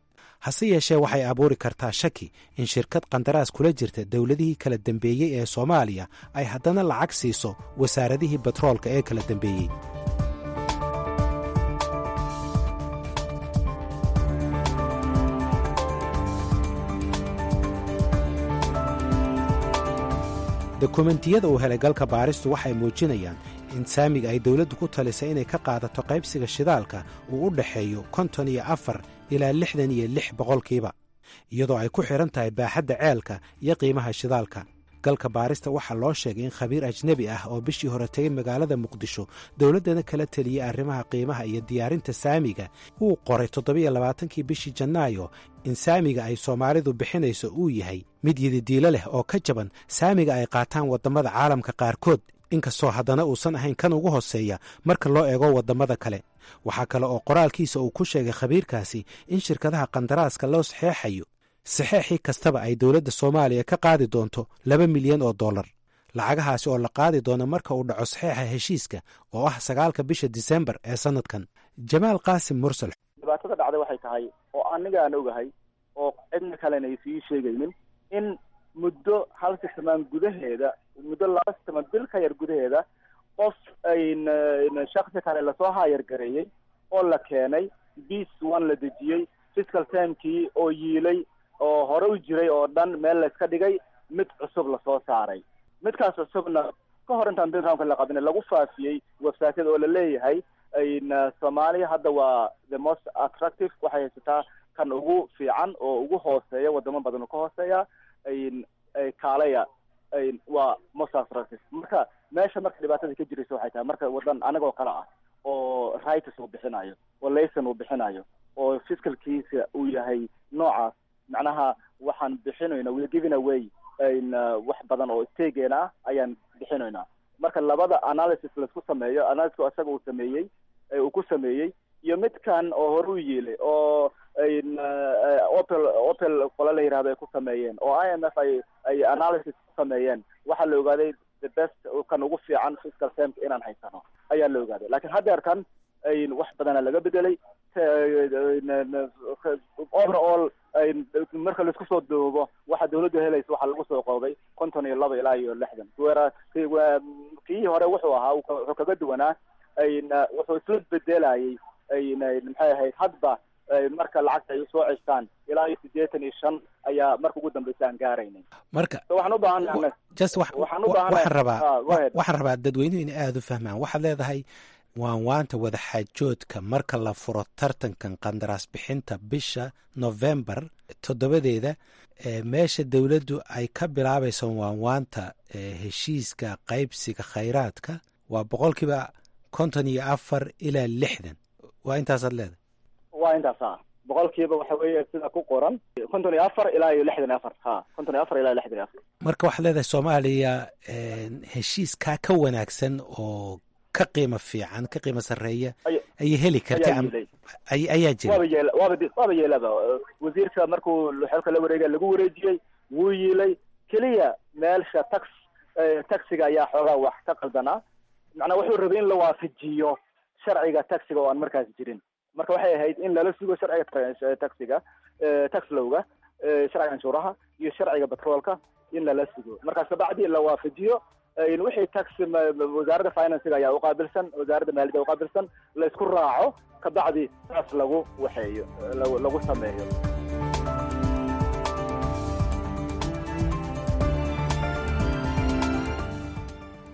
Hase yeeshee waxay abuuri kartaa shaki in shirkad qandaraas kula jirta dowladihii kala dambeeyey ee Soomaaliya ay haddana lacag siiso wasaaradihii batroolka ee kala dambeeyey. Dokumentiyada uu helay galka baaristu waxay muujinayaan in saamiga ay dowladdu ku talisay inay ka qaadato qaybsiga shidaalka uu u dhexeeyo konton iyo afar ilaa lixdan iyo lix boqolkiiba, iyadoo ay ku xidhan tahay baaxadda ceelka iyo qiimaha shidaalka. Galka baarista waxaa loo sheegay in khabiir ajnebi ah oo bishii hore tegay magaalada Muqdisho dowladdana kala teliyey arrimaha qiimaha iyo diyaarinta saamiga uu qoray toddobiyo labaatankii bishii Janaayo in saamiga ay Soomaalidu bixinayso uu yahay mid yididiilo leh oo ka jaban saamiga ay qaataan waddamada caalamka qaarkood, inkastoo haddana uusan ahayn kan ugu hoseeya marka loo eego waddamada kale. Waxaa kale oo qoraalkiisa uu ku sheegay khabiirkaasi in shirkadaha qandaraaska loo saxeexayo saxeexii kastaba ay dowladda Soomaaliya ka qaadi doonto laba milyan oo dollar, lacagahaasi oo la qaadi doono marka uu dhaco saxeexa heshiiska oo ah sagaalka bisha Disembar ee sanadkan. Jamaal Qaasim Mursal: Dhibaatada dhacday waxay tahay oo aniga aan ogahay oo cidna kalena ay sii sheegaynin in muddo hal sixmaan gudaheeda, muddo laba sixmaan bil ka yar gudaheeda, qof shaksi kale lasoo haayargareeyey oo la keenay bis one la dejiyey fiscal termkii oo yiilay oo hore u jiray oo dhan meel layska dhigay, mid cusub lasoo saaray. Midkaas cusubna ka hor intaan bid roundka la qabin lagu faafiyey websiteyada oo la leeyahay Soomaaliya hadda waa the most attractive, waxay haysataa kan ugu fiican oo ugu hooseeya wadamo badan oo ka hooseeya, kaalaya, waa most attractive. Marka meesha marka dhibaatada ka jiraysa waxay tahay marka wadan anagoo kale ah oo rights uu bixinayo oo layson uu bixinayo oo fiscalkiisa uu yahay noocaas, macnaha waxaan bixinayna, we giving away wax badan oo stageena ah ayaan bixinaynaa. Marka labada analysis laisku sameeyo, analysis isaga uu sameeyey uu ku sameeyey iyo midkan oo hore u yiilay oo opel opel qola la yihahdo ay ku sameeyeen oo I M F ay ay analysis ku sameeyeen, waxaa la ogaaday the best kan ugu fiican fiscal termka inaan haysano ayaa la ogaaday. Laakiin haddeerkan wax badana laga bedelay overall. Marka laisku soo duubo waxa dawladdu helaysa waxaa lagu soo qoobay konton iyo laba ilaa iyo lixdan. Kii hore wuxuu ahaa wuxuu kaga duwanaa wuxuu isla bedelayay maxay ahayd hadba marka lacagta ay usoo ceshtaan ilaa iyo siddeetan iyo shan ayaa marka ugu dambeysa aan gaaraynay. Marka waxaan u baahannahay just waxaan rabaa waxaan rabaa dadweynuhu inay aada u fahmaan. Waxaad leedahay waanwaanta wadaxaajoodka marka la furo tartankan qandaraas bixinta bisha Novembar toddobadeeda, meesha dowladdu ay ka bilaabayso waanwaanta heshiiska qaybsiga khayraadka waa boqolkiiba konton iyo afar ilaa lixdan, waa intaasaad leedahay? Waa intaas a boqolkiiba waxa weeye sida ku qoran konton iyo afar ilaa iyo lixdan iyo afar, ha, konton iyo afar ilaa lixdan iyo afar. Marka waxaad leedahay Soomaaliya heshiiskaa ka wanaagsan oo ka qiimo fiican, ka qiimo sarreeya ayay heli karta, ayaa jira. Waaba yeel waaba waaba yeelaba wasiirka markuu xilka la wareegay lagu wareejiyey wuu yiilay keliya meelsha tax taxiga ayaa xoogaa wax ka qaldanaa, macnaa wuxuu rabay in la waafajiyo sharciga taxiga oo aan markaas jirin. Marka waxay ahayd in lala sugo sharciga taxiga, tax lowga, sharciga canshuuraha iyo sharciga batroolka in lala sugo, markaas kabacdi la waafajiyo wixii tax wasaaradda financiga ayaa uqaabilsan, wasaaradda maaliyadda uqaabilsan, la isku raaco, kabacdi saas lagu waxeeyo lagu sameeyo.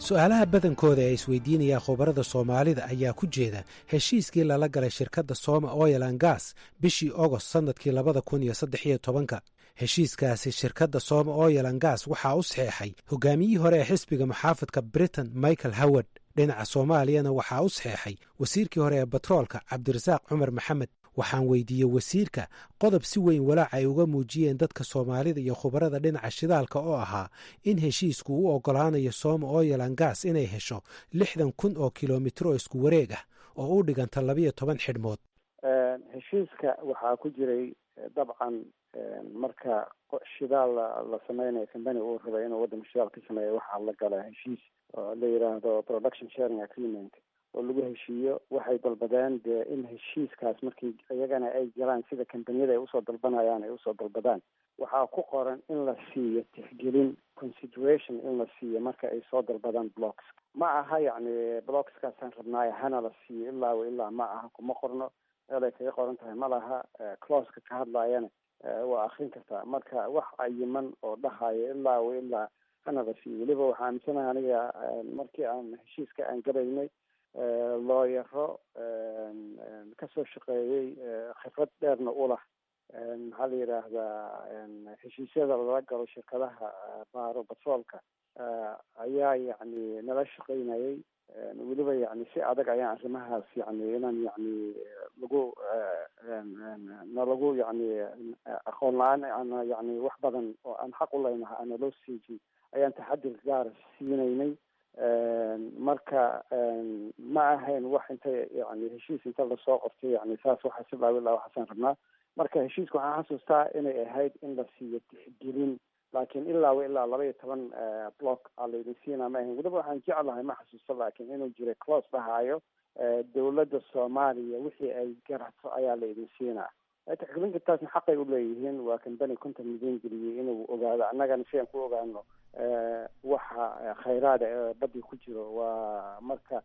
Su-aalaha badankooda ee isweydiinaya khubarada Soomaalida ayaa ku jeeda heshiiskii lala galay shirkadda Soma Oil and Gas bishii Ogost sannadkii labada kun iyo saddex iyo tobanka. Heshiiskaasi shirkadda Soma Oil and Gas waxaa u saxeexay hogaamiyihii hore ee xisbiga muxaafadka Britain, Michael Howard. Dhinaca Soomaaliyana waxaa u saxeexay wasiirkii hore ee batroolka, Cabdirasaaq Cumar Maxamed. Waxaan weydiiyey wasiirka qodob si weyn walaac ay uga muujiyeen dadka Soomaalida iyo khubarada dhinaca shidaalka, oo ahaa in heshiisku u oggolaanayo Soma Oil and Gas inay hesho lixdan kun oo kilomitr oo isku wareeg ah, oo u dhiganta labiyo toban xidhmood. Heshiiska waxaa ku jiray, dabcan, marka shidaal la sameynayo, company uu rabay inuu waddanka shidaal ka sameeyo, waxaa la gala heshiis oo la yidhaahdo production sharing agreement oo lagu heshiiyo. Waxay dalbadeen dee in heshiiskaas markii iyagana ay galaan, sida kambaniyada ay usoo dalbanayaan ay usoo dalbadaan, waxaa ku qoran in la siiyo tixgelin, consideration in la siiyo marka ay soo dalbadaan blocks. Ma aha yacni blockskaasaan rabnaayo hana la siiyo ilaa wa ilaa, ma aha, kuma qorno, meel ay kaga qoran tahay ma laha. Clauseka ka hadlaayana waa akrin kartaa. Marka wax cayiman oo dhahayo ilaa wa ilaa hana la siiyo, weliba waxaa aaminsanahay aniga markii aan heshiiska aan galaynay, looyaro kasoo shaqeeyey, khibrad dheerna ulah, maxaa la yidhaahdaa, heshiisyada lala galo shirkadaha baaro batroolka ayaa yacni nala shaqeynayay. Weliba yacni si adag ayaan arrimahaas yacni inaan yacni lagu nalagu yacni aqoon la-aan ana yacni wax badan oo aan xaq u leynaha ana loo siijin ayaan taxadir gaara siinaynay. Marka ma ahayn wax inta yani heshiis inta lasoo qortay yani saas waxa si laa ilaa waxaasaan rabnaa. Marka heshiiska waxaan xasuustaa inay ahayd in la siiyo tixgelin, laakiin ilaa wa ilaa laba iyo toban block aa laydin siinaa ma ahayn. Weliba waxaan jeclahay, ma xasuusto, laakiin inuu jiray clause dhahaayo dowladda Soomaaliya wixii ay garato ayaa laydin siinaa. Tixgelinta taasna xaqay uleeyihiin, waa company konton milyan geliyey inuu ogaado, annagana si aan ku ogaano waxa khayraada ee badii ku jiro. Waa marka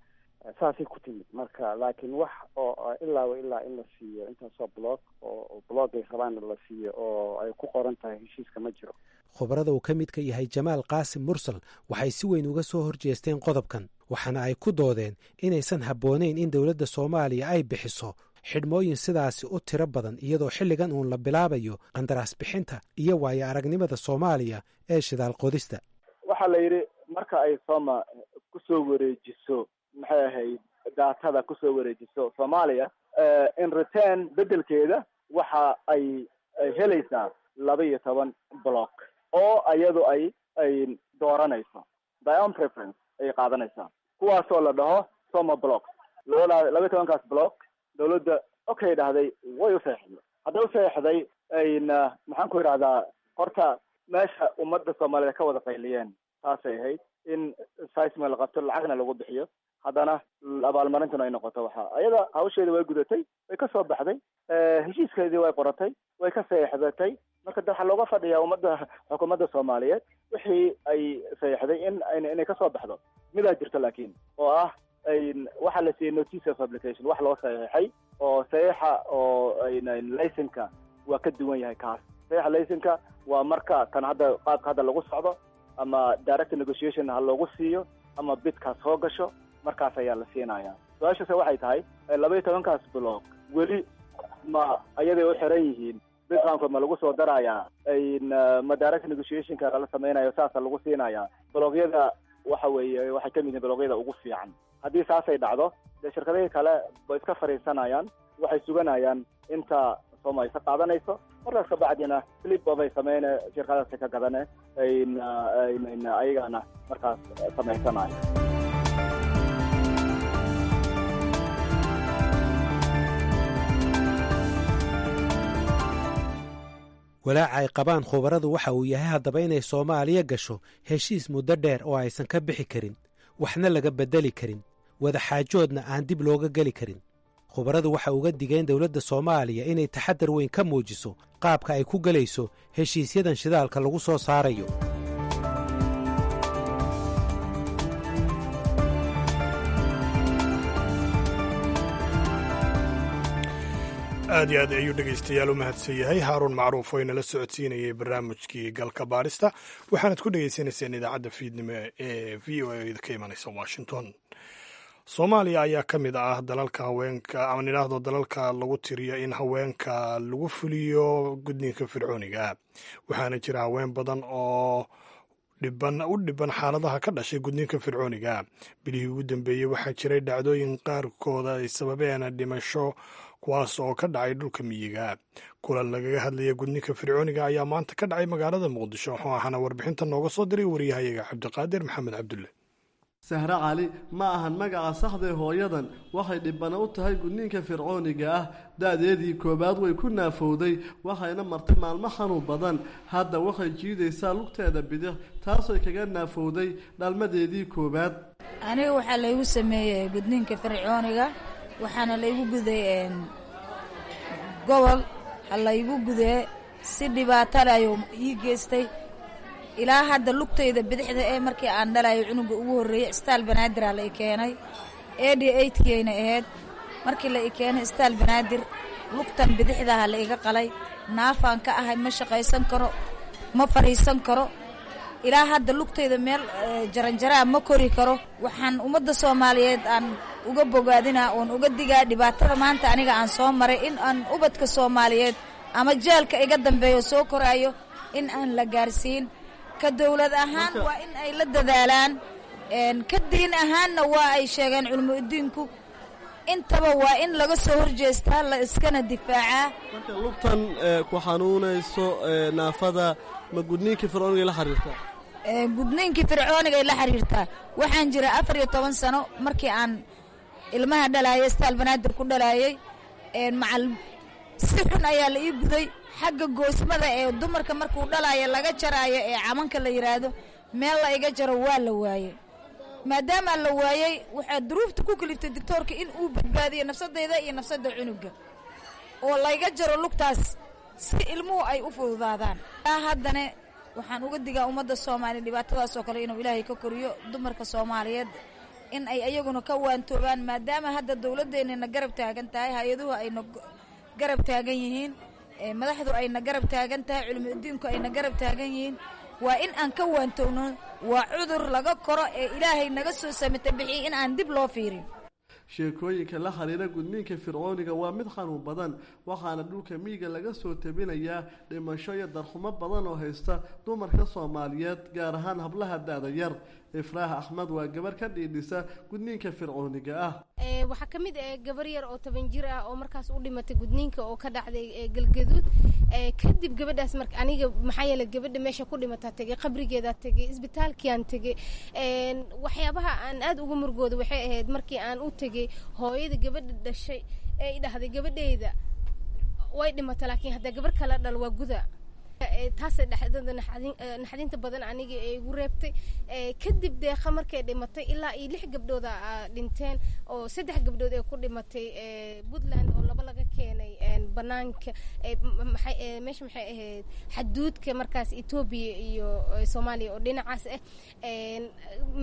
saasay ku timid. Marka laakiin wax oo ilaa wa ilaa in la siiyo intaasoo block oo block ay rabaanna la siiyo oo ay ku qoran tahay heshiiska ma jiro. Khubarada uu ka midka yahay Jamaal Qaasim Mursal waxay si weyn uga soo horjeesteen qodobkan, waxaana ay ku doodeen inaysan habboonayn in dowladda Soomaaliya ay bixiso xidhmooyin sidaasi u tiro badan, iyadoo xilligan uun la bilaabayo qandaraas bixinta iyo waayo aragnimada Soomaaliya ee shidaal qodista. Waxaa la yidhi marka ay Soma kusoo wareejiso, maxay ahayd, daatada kusoo wareejiso Soomaaliya, in return, beddelkeeda, waxa ay helaysaa laba iyo toban block oo iyadu ay ay dooranayso, their own preference ay qaadanaysaa, kuwaasoo la dhaho Soma block. Labada laba iyo tobankaas block dawladda okay dhahday, way useexday. Hadday useexday, ayna maxaan ku idhahdaa, horta meesha ummadda Soomaaliyeed ka wada qayliyeen taasay ahayd, in seismic la qabto, lacagna lagu bixiyo, haddana abaalmarintuna ay noqoto. Waxa ayada hawsheedii way gudatay, way ka soo baxday, heshiiskeedii way qoratay, way ka seexdatay. Marka de waxaa looga fadhiyaa ummadda, xukuumadda Soomaaliyeed, wixii ay seexday in inay kasoo baxdo. Midaa jirto laakiin oo ah waxaa la siiyey notice of application, wax loo saxeexay oo saxiixa oo licenseka waa ka duwan yahay kaas. Saxiixa licenseka waa marka kan hadda qaabka hadda lagu socdo, ama direct negotiation ha loogu siiyo ama bidkaas soo gasho, markaas ayaa la siinaya. Su-aashaase waxay tahay, laba iyo tobankaas block weli ma ayaday u xiran yihiin? Bid roundka ma lagu soo darayaa? Ma direct negotiationka lala sameynayo saasa lagu siinayaa? Blockyada waxa weeye waxay kamid yihiin blockyada ugu fiican. Haddii saasay dhacdo, dee shirkadihii kale way iska fadhiisanayaan, waxay suganayaan inta Soma ka qaadanayso. Markaas kabacdina flip bay sameyne, shirkadaasi ka gadane, ayagana markaas samaysanayo. Walaaca ay qabaan khubaradu waxa uu yahay haddaba inay Soomaaliya gasho heshiis muddo dheer oo aysan ka bixi karin, waxna laga beddeli karin, wadaxaajoodna aan dib looga geli karin. Khubaradu waxa uga digeen dowladda Soomaaliya inay taxaddar weyn ka muujiso qaabka ay ku gelayso heshiisyadan shidaalka lagu soo saarayo. Aad iyo aad ayuu dhegaystayaal u mahadsan yahay Haaruun Macruuf oo inala socodsiinayay barnaamijkii Galka Baarista. Waxaanad ku dhegaysanayseen idaacadda fiidnimo ee V O A ka imanaysa Washington. Soomaaliya ayaa ka mid ah dalalka haweenka ama nidhaahdo dalalka lagu tiriyo in haweenka lagu fuliyo gudniinka fircooniga, waxaana jira haween badan oo dhiban u dhiban xaaladaha ka dhashay gudniinka fircooniga. Bilihii ugu dambeeyey waxaa jiray dhacdooyin qaarkooda ay sababeen dhimasho, kuwaas oo ka dhacay dhulka miyiga. Kulan lagaga hadlaya gudniinka fircooniga ayaa maanta ka dhacay magaalada Muqdisho, waxaana warbixinta nooga soo diray wariyahayaga Cabdiqaadir Maxamed Cabdulle. Sahre Cali ma ahan magaca saxdae hooyadan. Waxay dhibana u tahay gudniinka fircooniga ah. Da-deedii koowaad way ku naafowday, waxayna martay maalmo xanuun badan. Hadda waxay jiidaysaa lugteeda bidix, taasooy kaga naafowday dhalmadeedii koowaad. Aniga waxaa laygu sameeyey gudniinka fircooniga, waxaana laygu guday gobol. Ha laygu gudee si dhibaatale ayuu ii geystay. Ilaa hadda lugtayda bidixda ee markii aan dhalayo cunuga ugu horreeyey, istaal Banaadir la i keenay, eighty eightkayna ahayd markii la i keenay istaal Banaadir. Lugtan bidixdaha la iga qalay, naafaan ka ahay, ma shaqaysan karo, ma fadhiisan karo. Ilaa hadda lugtayda meel jaranjaraa ma kori karo. Waxaan ummadda Soomaaliyeed aan uga bogaadinaa oon uga digaa dhibaatada maanta aniga aan soo maray, in aan ubadka Soomaaliyeed ama jeelka iga dambeeyo soo koraayo in aan la gaarsiin. Ka dowlad ahaan waa in ay la dadaalaan, ka diin ahaanna waa ay sheegeen culimo udiinku, intaba waa in laga soo horjeestaa, la iskana difaacaa. Marka lugtan ku xanuunayso naafada ma gudniinkii fircooniga la xiriirtaa? Gudniinkii fircoonigay la xiriirtaa. Waxaan jira afar iyo toban sano markii aan ilmaha dhalaayay, istaal Banaadir ku dhalaayay. Macal si xun ayaa la ii guday. Xagga goosmada ee dumarka markuu dhalaayo laga jaraayo ee camanka la yidhaahdo, meel la iga jaro waa la waayey. Maadaama la waayey, waxaa duruufta ku kaliftay doctoorka in uu badbaadiyo nafsadayda iyo nafsadda cunuga oo layga jaro lugtaas si ilmuhu ay u fududaadaan. Haddana waxaan uga digaa ummadda Soomaaliya dhibaatadaas oo kale inuu Ilaahay ka koriyo, dumarka Soomaaliyeed in ay ayaguna ka waantoobaan, maadaama hadda dowladdeennana garab taagan tahay, hay-aduhu ayna garab taagan yihiin, madaxdu ayna garab taagan tahay, culimo udiinku ayna garab taagan yihiin. Waa in aan ka waantowno. Waa cudur laga koro ee Ilaahay naga soo samata bixiyey, in aan dib loo fiirin. Sheekooyinka la xiriira gudniinka fircooniga waa mid xanuun badan, waxaana dhulka miyiga laga soo tabinayaa dhimasho iyo darxumo badan oo haysta dumarka Soomaaliyeed, gaar ahaan hablaha da-da yar. Ifraax Axmed waa gabar ka dhiidhisa gudniinka fircooniga ah. Waxaa ka mid ah gabar yar oo toban jir ah oo markaas u dhimatay gudniinka oo ka dhacday Galgaduud. Kadib gabadhaas marka aniga, maxaa yeelay gabadha meesha ku dhimataa tegay, qabrigeedaa tegay, isbitaalkiaan tegay. Waxyaabaha aan aad uga murgooda waxay ahayd markii aan u tegay hooyada gabadha dhashay ee i dhahday, "Gabadheyda way dhimata, laakiin haddaa gabar kala dhal waa guda." Taasay dhexdada naxdinta badan aniga ee igu reebtay. Kadib Deeqa markay dhimatay, ilaa iyo lix gabdhooda dhinteen, oo saddex gabdhood ee ku dhimatay Puntland, oo laba laga keenay banaanka meesha, maxay ahayd, xaduudka markaas Etoobiya iyo Soomaaliya oo dhinacaas ah,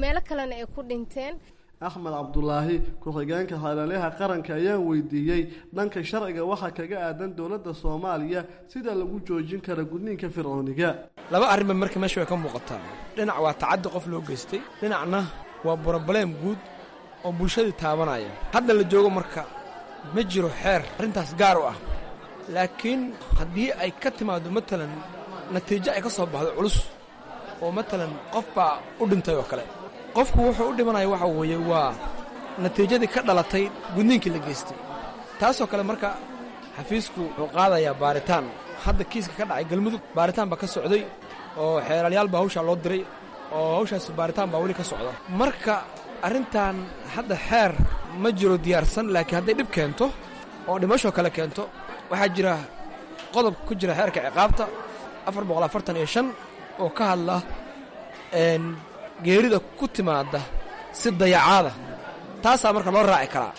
meelo kalena ay ku dhinteen. Axmed Cabdulaahi, ku-xigeenka xeelaliyaha qaranka, ayaan weydiiyey dhanka sharciga waxaa kaga aadan dowladda Soomaaliya sida lagu joojin kara gudniinka fircooniga. Laba arrinba marka meesha way ka muuqataa. Dhinac waa tacaddi qof loo geystay, dhinacna waa broblem guud oo bulshadii taabanaya. Hadda la joogo marka ma jiro xeer arrintaas gaar u ah, laakiin haddii ay ka timaaddo matalan natiijo ay ka soo baxdo culus, oo matalan qof baa u dhintay oo kale, qofku wuxuu u dhimanaya waxa weeye waa natiijadii ka dhalatay gudniinkii la geystay. Taasoo kale marka xafiisku wuxuu qaadayaa baaritaan. Hadda kiiska ka dhacay Galmudug baaritaan baa ka socday, oo xeeralyaal baa hawshaa loo diray, oo hawshaas baaritaan baa weli ka socda. Marka arrintan hadda xeer ma jiro diyaarsan, laakiin hadday dhib keento oo dhimashoo kale keento, waxaa jira qodob ku jira xeerka ciqaabta afar boqol afartan iyo shan oo ka hadla geerida ku timaada si dayacaada. Taasaa marka loo raaci karaa.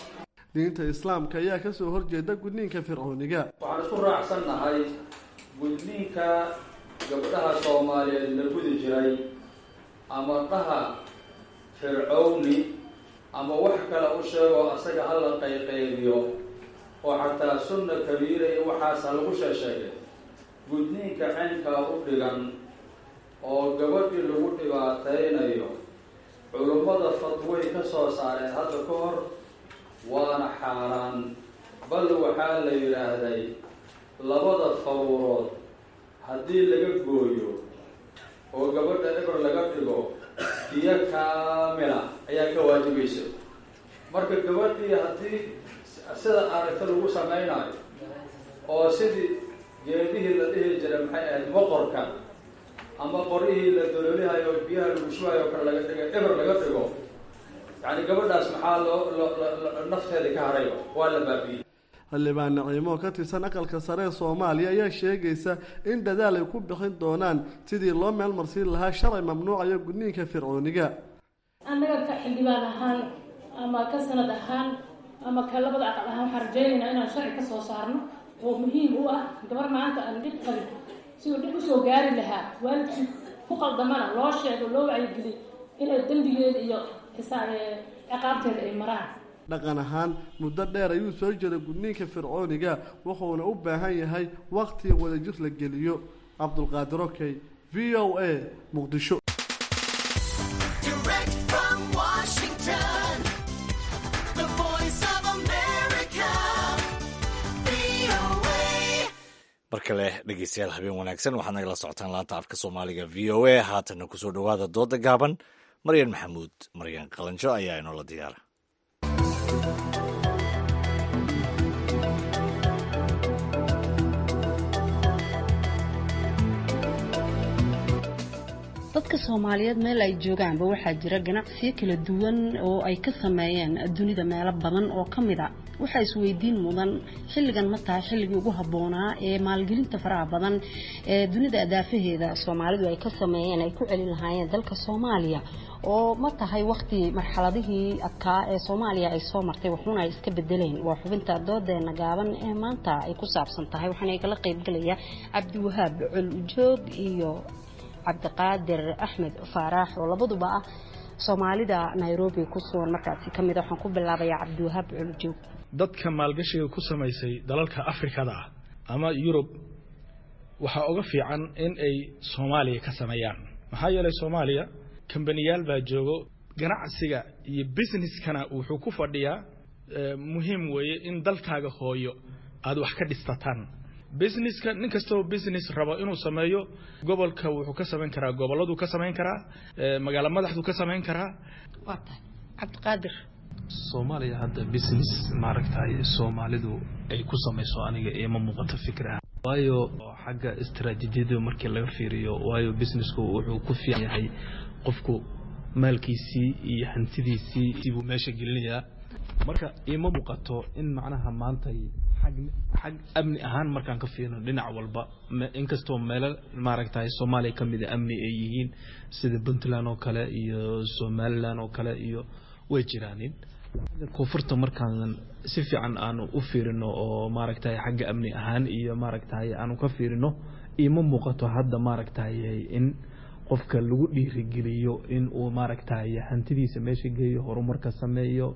Diinta Islaamka ayaa ka soo horjeeda gudniinka fircooniga. Waxaan isku raacsannahay gudniinka gabdhaha Soomaaliyeed la gudi jiray, ama dhaha fircowni ama wax kale u sheego, asaga ha la qayqaybiyo oo xataa sunna kabiira iyo waxaasa lagu sheesheegay. Gudniinka caynkaa u dhigan oo gabadhii lagu dhibaataynayo Culummada fatway ka soo saareen hadda ka hor, waana xaaraan. Bal waxaa la yidhaahday labada faruurood haddii laga gooyo oo gabadha eber laga dhigo, diyo kaamila ayaa ka waajibaysa. Marka gabadhii haddii sida aragta lagu samaynayo oo sidii geedihii la dhihi jiray, maxay ahayd, moqorka ama qorihii la doloolihayo, biyaha lagu shubayo kale laga dhigo, eber laga dhigo, yacni gabadhaas maxaa loo loo nafteeda ka harayba? Waa la baabi'iyey. Xildhibaan Naciimo oo ka tirsan Aqalka Sare ee Soomaaliya ayaa sheegaysa in dadaal ay ku bixin doonaan sidii loo meelmarsiin lahaa sharci mamnuucaya gudniinka fircooniga. Annaga ka xildhibaan ahaan ama ka sanad ahaan ama ka labada aqal ahaan, waxaan rajaynaynaa inaan sharci ka soo saarno oo muhiim u ah gabar maanta aan dhib qabin siduu dhib usoo gaari lahaa, waalidkii ku qaldamana loo sheego, loo wacyigeliy inay dembigeeda iyo ciqaabteeda ay maraan. Dhaqan ahaan muddo dheer ayuu soo jiray gudniinka fircooniga, wuxuuna u baahan yahay waqti wadajir la geliyo. Cabdulqaadir Okey, V O A, Muqdisho. Direct from Washington, the Voice of America, V O A. Mar kale dhegeystayaal, habeen wanaagsan. Waxaad nagala socotaan laanta afka Soomaaliga V O A. Haatanna kusoo dhowaada dooda gaaban. Maryan Maxamuud Maryan Qalanjo ayaa inoola diyaara. Dadka Soomaaliyeed meel ay joogaanba waxaa jira ganacsiyo kala duwan oo ay ka sameeyeen dunida meelo badan oo ka mid a. Waxaa isweydiin mudan, xilligan ma tahay xilligii ugu habboonaa ee maalgelinta faraha badan ee dunida adaafaheeda Soomaalidu ay ka sameeyeen ay ku celin lahaayeen dalka Soomaaliya, oo ma tahay waqti marxaladihii adkaa ee Soomaaliya ay soo martay waxuuna ay iska bedeleen? Waa xubinta doodeena gaaban ee maanta ay ku saabsan tahay. Waxaana igala qaybgalaya Cabdiwahaab Col Ujoog iyo Cabdiqaadir Axmed Faaraax, oo labaduba ah Soomaalida Nairobi ku sugan markaasi ka mid a. Waxaan ku bilaabayaa Cabdiwahaab Colujoog. Dadka maalgashiga ku samaysay dalalka Afrikada ah ama Yurub waxaa uga fiican in ay Soomaaliya ka sameeyaan, maxaa yeelay Soomaaliya kambaniyaal baa joogo. Ganacsiga iyo businesskana wuxuu ku fadhiyaa, muhiim weeye in dalkaaga hooyo aada wax ka dhistataan businesska. Nin kastoo business rabo inuu sameeyo, gobolka wuxuu ka samayn karaa, gobolladuu ka samayn karaa, magaalo madaxduu ka samayn karaa. Waa tahay, Cabdiqaadir. Soomaaliya hadda business maaragtay Soomaalidu ay ku samayso aniga ima muuqato fikir ah, waayo xagga istaraatiijiyada markii laga fiiriyo, waayo businessku wuxuu ku fiican yahay qofku maalkiisii iyo hantidiisii buu meesha gelinayaa. Marka ima muuqato in macnaha maanta xag xag amni ahaan markaan ka fiirino dhinac walba, inkastoo meelo maaragtay Soomaaliya ka mid a amni ay yihiin, sida Puntland oo kale iyo Somaliland oo kale iyo way jiraanin, xagga koonfurta markaan si fiican aanu u fiirino oo maaragtay xagga amni ahaan iyo maaragtay aanu ka fiirino, ima muuqato hadda maaragtay in qofka lagu dhiirigeliyo in uu maaragtay hantidiisa meesha geeyo, horumarka sameeyo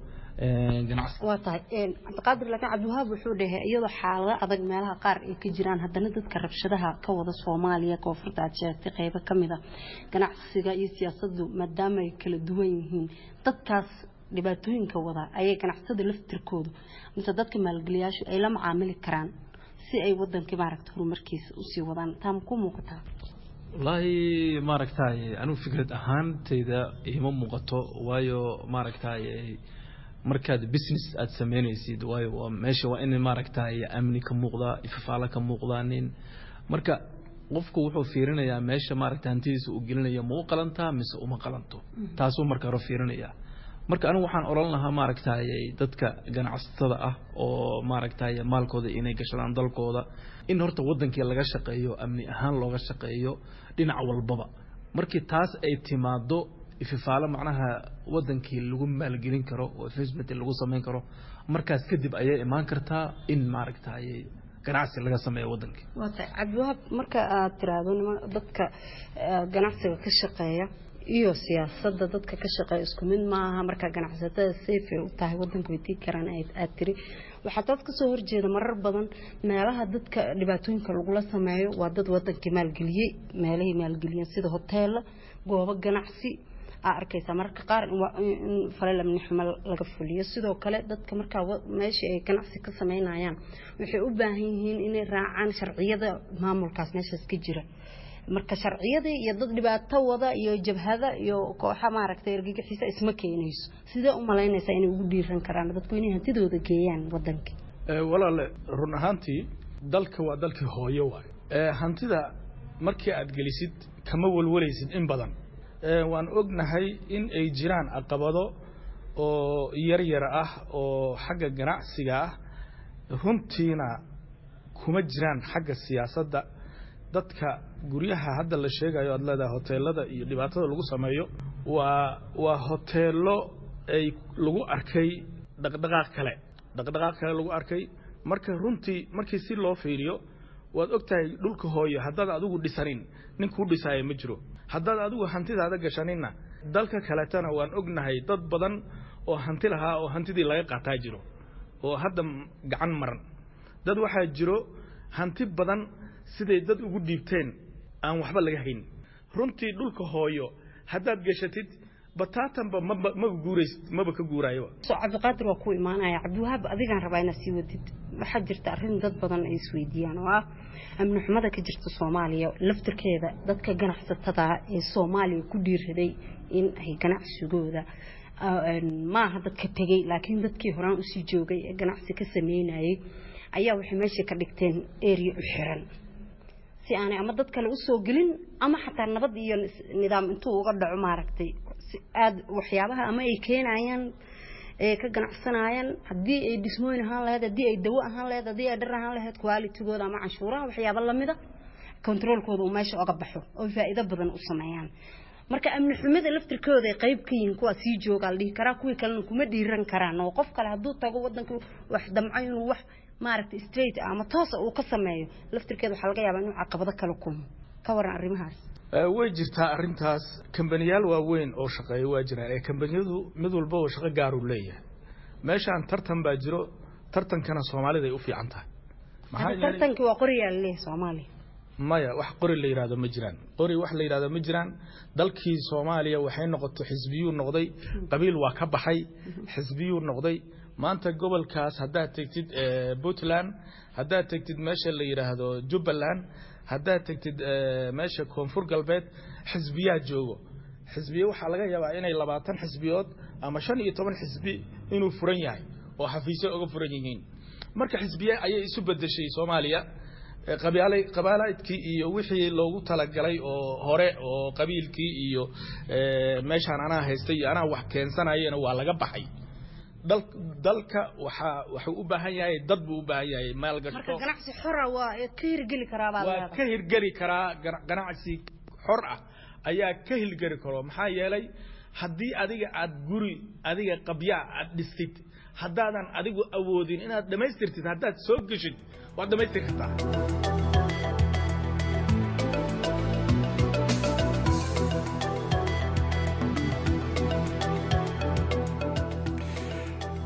ganacsi. Waa tahay, Cabdiqaadir. Laakiin Cabdiwahaab wuxuu dhahay iyadoo xaalado adag meelaha qaar ay ka jiraan, haddana dadka rabshadaha ka wada Soomaaliya koonfurta aad sheegtay qeybo ka mid a, ganacsiga iyo siyaasaddu maadaama ay kala duwan yihiin, dadkaas dhibaatooyinka wada ayay ganacsatada laftirkoodu mise dadka maalgeliyaashu ay la macaamili karaan si ay wadankii maaragta horumarkiisa usii wadaan. Taa ma ku muuqataa? Wallaahi maaragtay anigu fikrad ahaantayda ima muuqato, waayo maaragtay markaad business aad sameynaysid, waayo waa meesha waa in maaragtay amni ka muuqdaa, ifafaala ka muuqdaanin. Marka qofku wuxuu fiirinayaa meesha maaragtay hantidiisa uu gelinayo ma u qalantaa mise uma qalanto, taasuu marka hore fiirinayaa. Marka anigu waxaan odhan lahaa maaragtay dadka ganacsatada ah oo maaragtay maalkooda inay gashadaan dalkooda, in horta wadankii laga shaqeeyo, amni ahaan looga shaqeeyo dhinac walbaba. Markii taas ay timaado, ififaalo macnaha wadankii lagu maalgelin karo oo investment lagu samayn karo, markaas kadib ayay imaan kartaa in maaragtay ganacsi laga sameeyo wadankii. Waa tahay, Cabdiwahaab. Marka aad tiraahdo niman dadka ganacsiga ka shaqeeya iyo siyaasadda dadka ka shaqeeya isku mid maaha, marka ganacsatada safe ay u tahay wadanka way tigi karaan aad tiri, waxaa taas kasoo horjeeda marar badan meelaha dadka dhibaatooyinka lagula sameeyo waa dad wadankii maalgeliyey, meelahay maalgeliyeen sida hoteela, goobo ganacsi Aa arkaysaa mararka qaar in falal amni xumo laga fuliyo. Sidoo kale dadka markaa meesha ay ganacsi ka sameynayaan waxay u baahan yihiin inay raacaan sharciyada maamulkaas meeshaas ka jira. Marka sharciyadii iyo dad dhibaato wada iyo jabhada iyo kooxa maaragtay argagixiisa isma keenayso. Sidee u malaynaysaa inay ugu dhiiran karaan dadku inay hantidooda geeyaan wadanka? Walaale, run ahaantii dalka waa dalkii hooyo waayo. Hantida markii aad gelisid kama walwalaysid in badan. Waan ognahay in ay jiraan caqabado oo yar yar ah oo xagga ganacsiga ah, runtiina kuma jiraan xagga siyaasadda. Dadka guryaha hadda la sheegayo aad leedahay hoteelada iyo dhibaatada lagu sameeyo waa waa hoteelo ay lagu arkay dhaqdhaqaaq kale dhaqdhaqaaq kale lagu arkay. Marka runtii markii si loo fiiriyo, waad ogtahay dhulka hooyo haddaad adigu dhisanin nin kuu dhisaayo ma jiro, haddaad adigu hantidaada gashaninna dalka kaletana waan ognahay dad badan oo hanti lahaa oo hantidii laga qaataa jiro oo hadda gacan maran. Dad waxaa jiro hanti badan siday dad ugu dhiibteen aan waxba laga hayn. Runtii dhulka hooyo haddaad gashatid bataatanba maba maba guuraysid, maba ka guuraayoba. So Cabdiqaadir waa ku imaanaya. Cabdiwahaab, adigaan rabaa inaad sii wadid. Waxaa jirta arrin dad badan ay isweydiiyaan oo ah amni xumada ka jirta Soomaaliya laftirkeeda. Dadka ganacsatada ee Soomaaliya ku dhiiraday in ay ganacsigooda, maaha dadka tegey, laakiin dadkii horaan usii joogay ee ganacsi ka sameynayay ayaa waxay meesha ka dhigteen area u xiran si aanay ama dad kale usoo gelin ama xataa nabad iyo nidaam intuu uga dhaco maaragtay aad waxyaabaha ama ay keenayaan ee ka ganacsanayaan, haddii ay dhismooyin ahaan lahayd, haddii ay dawo ahaan lahayd, haddii ay dhar ahaan lahayd, qualitygooda ama canshuuraha waxyaaba lamida controlkooda uu meesha oga baxo oo faa'iido badan u sameeyaan. Marka amni xumida laftirkooda ay qayb ka yihiin kuwa sii jooga la dhihi karaa, kuwii kalena kuma dhiiran karaan oo qof kale hadduu tago wadanka wax damco inuu wax maaragtay straight ama toosa uu ka sameeyo, laftirkeeda waxaa laga yaabaa inuu caqabado kala kulmo. Ka waran arrimahaas? Way jirtaa arrintaas. Kambaniyaal waaweyn oo shaqeeya waa jiraan ee kambaniyadu mid walba oo shaqo gaar uu leeyahay. Meeshaan tartan baa jiro, tartankana Soomaalida ay u fiican tahay. Tartankii waa qoriyaa laleeyahay Soomaaliya. Maya, wax qori la yidhahdo ma jiraan, qori wax la yidhahdo ma jiraan. Dalkii Soomaaliya waxay noqotay xisbiyuu noqday, qabiil waa ka baxay, xisbiyuu noqday. Maanta gobolkaas haddaad tegtid Puntland, haddaad tegtid meesha la yidhaahdo Jubbaland, haddaad tegtid meesha Koonfur Galbeed, xisbiyaa joogo. Xisbiye waxaa laga yaabaa inay labaatan xisbiyood ama shan iyo toban xisbi inuu furan yahay oo xafiisyo uga furan yihiin. Marka xisbiye ayay isu bedeshay Soomaaliya. Qabiilay qabaalaydkii iyo wixii loogu talagalay oo hore oo qabiilkii iyo meeshaan anaa haystay iyo anaa wax keensanayena waa laga baxay. Dalka waxaa wuxuu u baahan yahay dad buu u baahan yahay maalgasho. Marka ganacsi xora waa ka hirgeli karaa baa waa ka hirgeli karaa. Ganacsi xor ah ayaa ka hirgeli karo, maxaa yeelay haddii adiga aad guri adiga qabyaa aad dhistid, haddaadan adigu awoodin inaad dhammaystirtid, haddaad soo geshid waad dhammaystiri kartaa.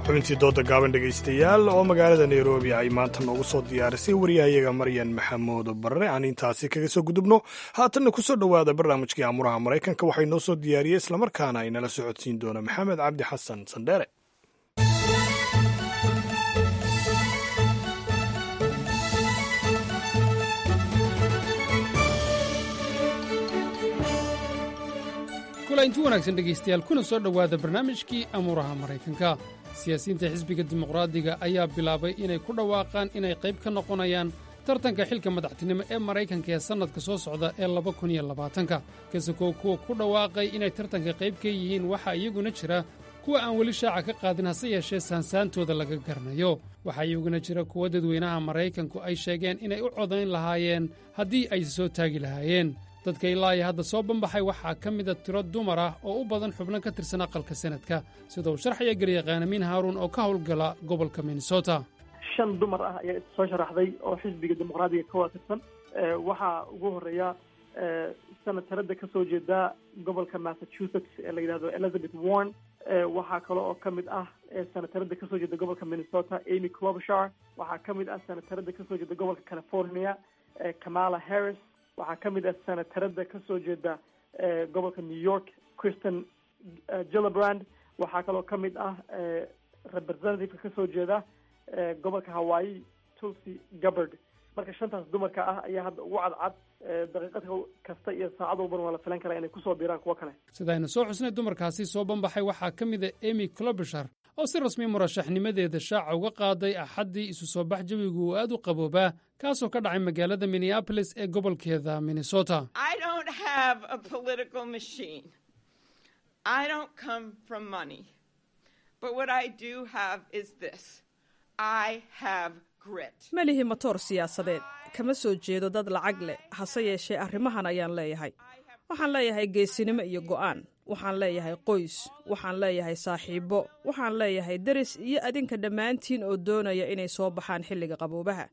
Xubintii dooda gaaban, dhegaystayaal, oo magaalada Nairobi ay maanta noogu soo diyaarisay wariyahayaga Maryan Maxamuud Barre, aan intaasi kaga soo gudubno. Haatanna kusoo dhowaada barnaamijkii Amuraha Maraykanka. Waxay noo soo diyaariyey islamarkaana ay nala socodsiin doona Maxamed Cabdi Xasan Sandheere. Kulainti wanaagsan, dhegaystayaal, kuna soo dhowaada barnaamijkii Amuuraha Maraykanka. Siyaasiyiinta xisbiga Dimuqraadiga ayaa bilaabay inay ku dhawaaqaan inay qayb ka noqonayaan tartanka xilka madaxtinimo ee Maraykanka ee sannadka soo socda ee laba kun iyo labaatanka. Kasakoo kuwa ku dhawaaqay inay tartanka qayb ka yihiin, waxaa iyaguna jira kuwa aan weli shaaca ka qaadin, hase yeeshee saansaantooda laga garanayo. Waxaa iyaguna jira kuwa dadweynaha Maraykanku ay sheegeen inay u codayn lahaayeen haddii ay soo taagi lahaayeen. Dadka ilaa iyo hadda soo banbaxay waxaa ka mida tiro dumar ah oo u badan xubno ka tirsan aqalka Sanadka, sida uu sharxaya garyaqaan Amiin Haaruun oo ka howlgala gobolka Minnesota. Shan dumar ah ayaa soo sharaxday oo xisbiga Dimuqraadiga ka wada tirsan. Waxaa ugu horeeya senatarada ka soo jeeda gobolka Massachusetts ee la yidhahdo Elizabeth Warren. Waxaa kale oo ka mid ah senatarada kasoo jeeda gobolka Minnesota, Amy Klobuchar. Waxaa ka mid ah senatarada kasoo jeeda gobolka California, Kamala Harris. Waxaa ka mid ah senatarada kasoo jeeda gobolka New York, Kristen Gillibrand. Waxaa kaloo ka mid ah representative-ka kasoo jeeda gobolka Hawaii, Tulsi Gabbard. Marka shantaas dumarka ah ayaa hadda ugu cadcad. Daqiiqad kasta iyo saacad walbana waa la filan karaa inay kusoo biiraan kuwo kale. Sidaynu soo xusnay, dumarkaasi soo banbaxay waxaa ka mid a Amy Klobuchar oo si rasmi murashaxnimadeeda shaaca uga qaaday Axaddii isu soo bax jawigu uu aad u qaboobaa, kaasoo ka dhacay magaalada Minneapolis ee gobolkeeda Minnesota. I don't have a political machine. I don't come from money. But what I do have is this. I have grit. Ma lihi matoor siyaasadeed, kama soo jeedo dad lacag leh, hase yeeshee arrimahan ayaan leeyahay. Waxaan leeyahay geesinimo iyo go'aan. Waxaan leeyahay qoys, waxaan leeyahay saaxiibbo, waxaan leeyahay deris iyo adinka dhammaantiin oo doonaya inay soo baxaan xilliga qaboobaha.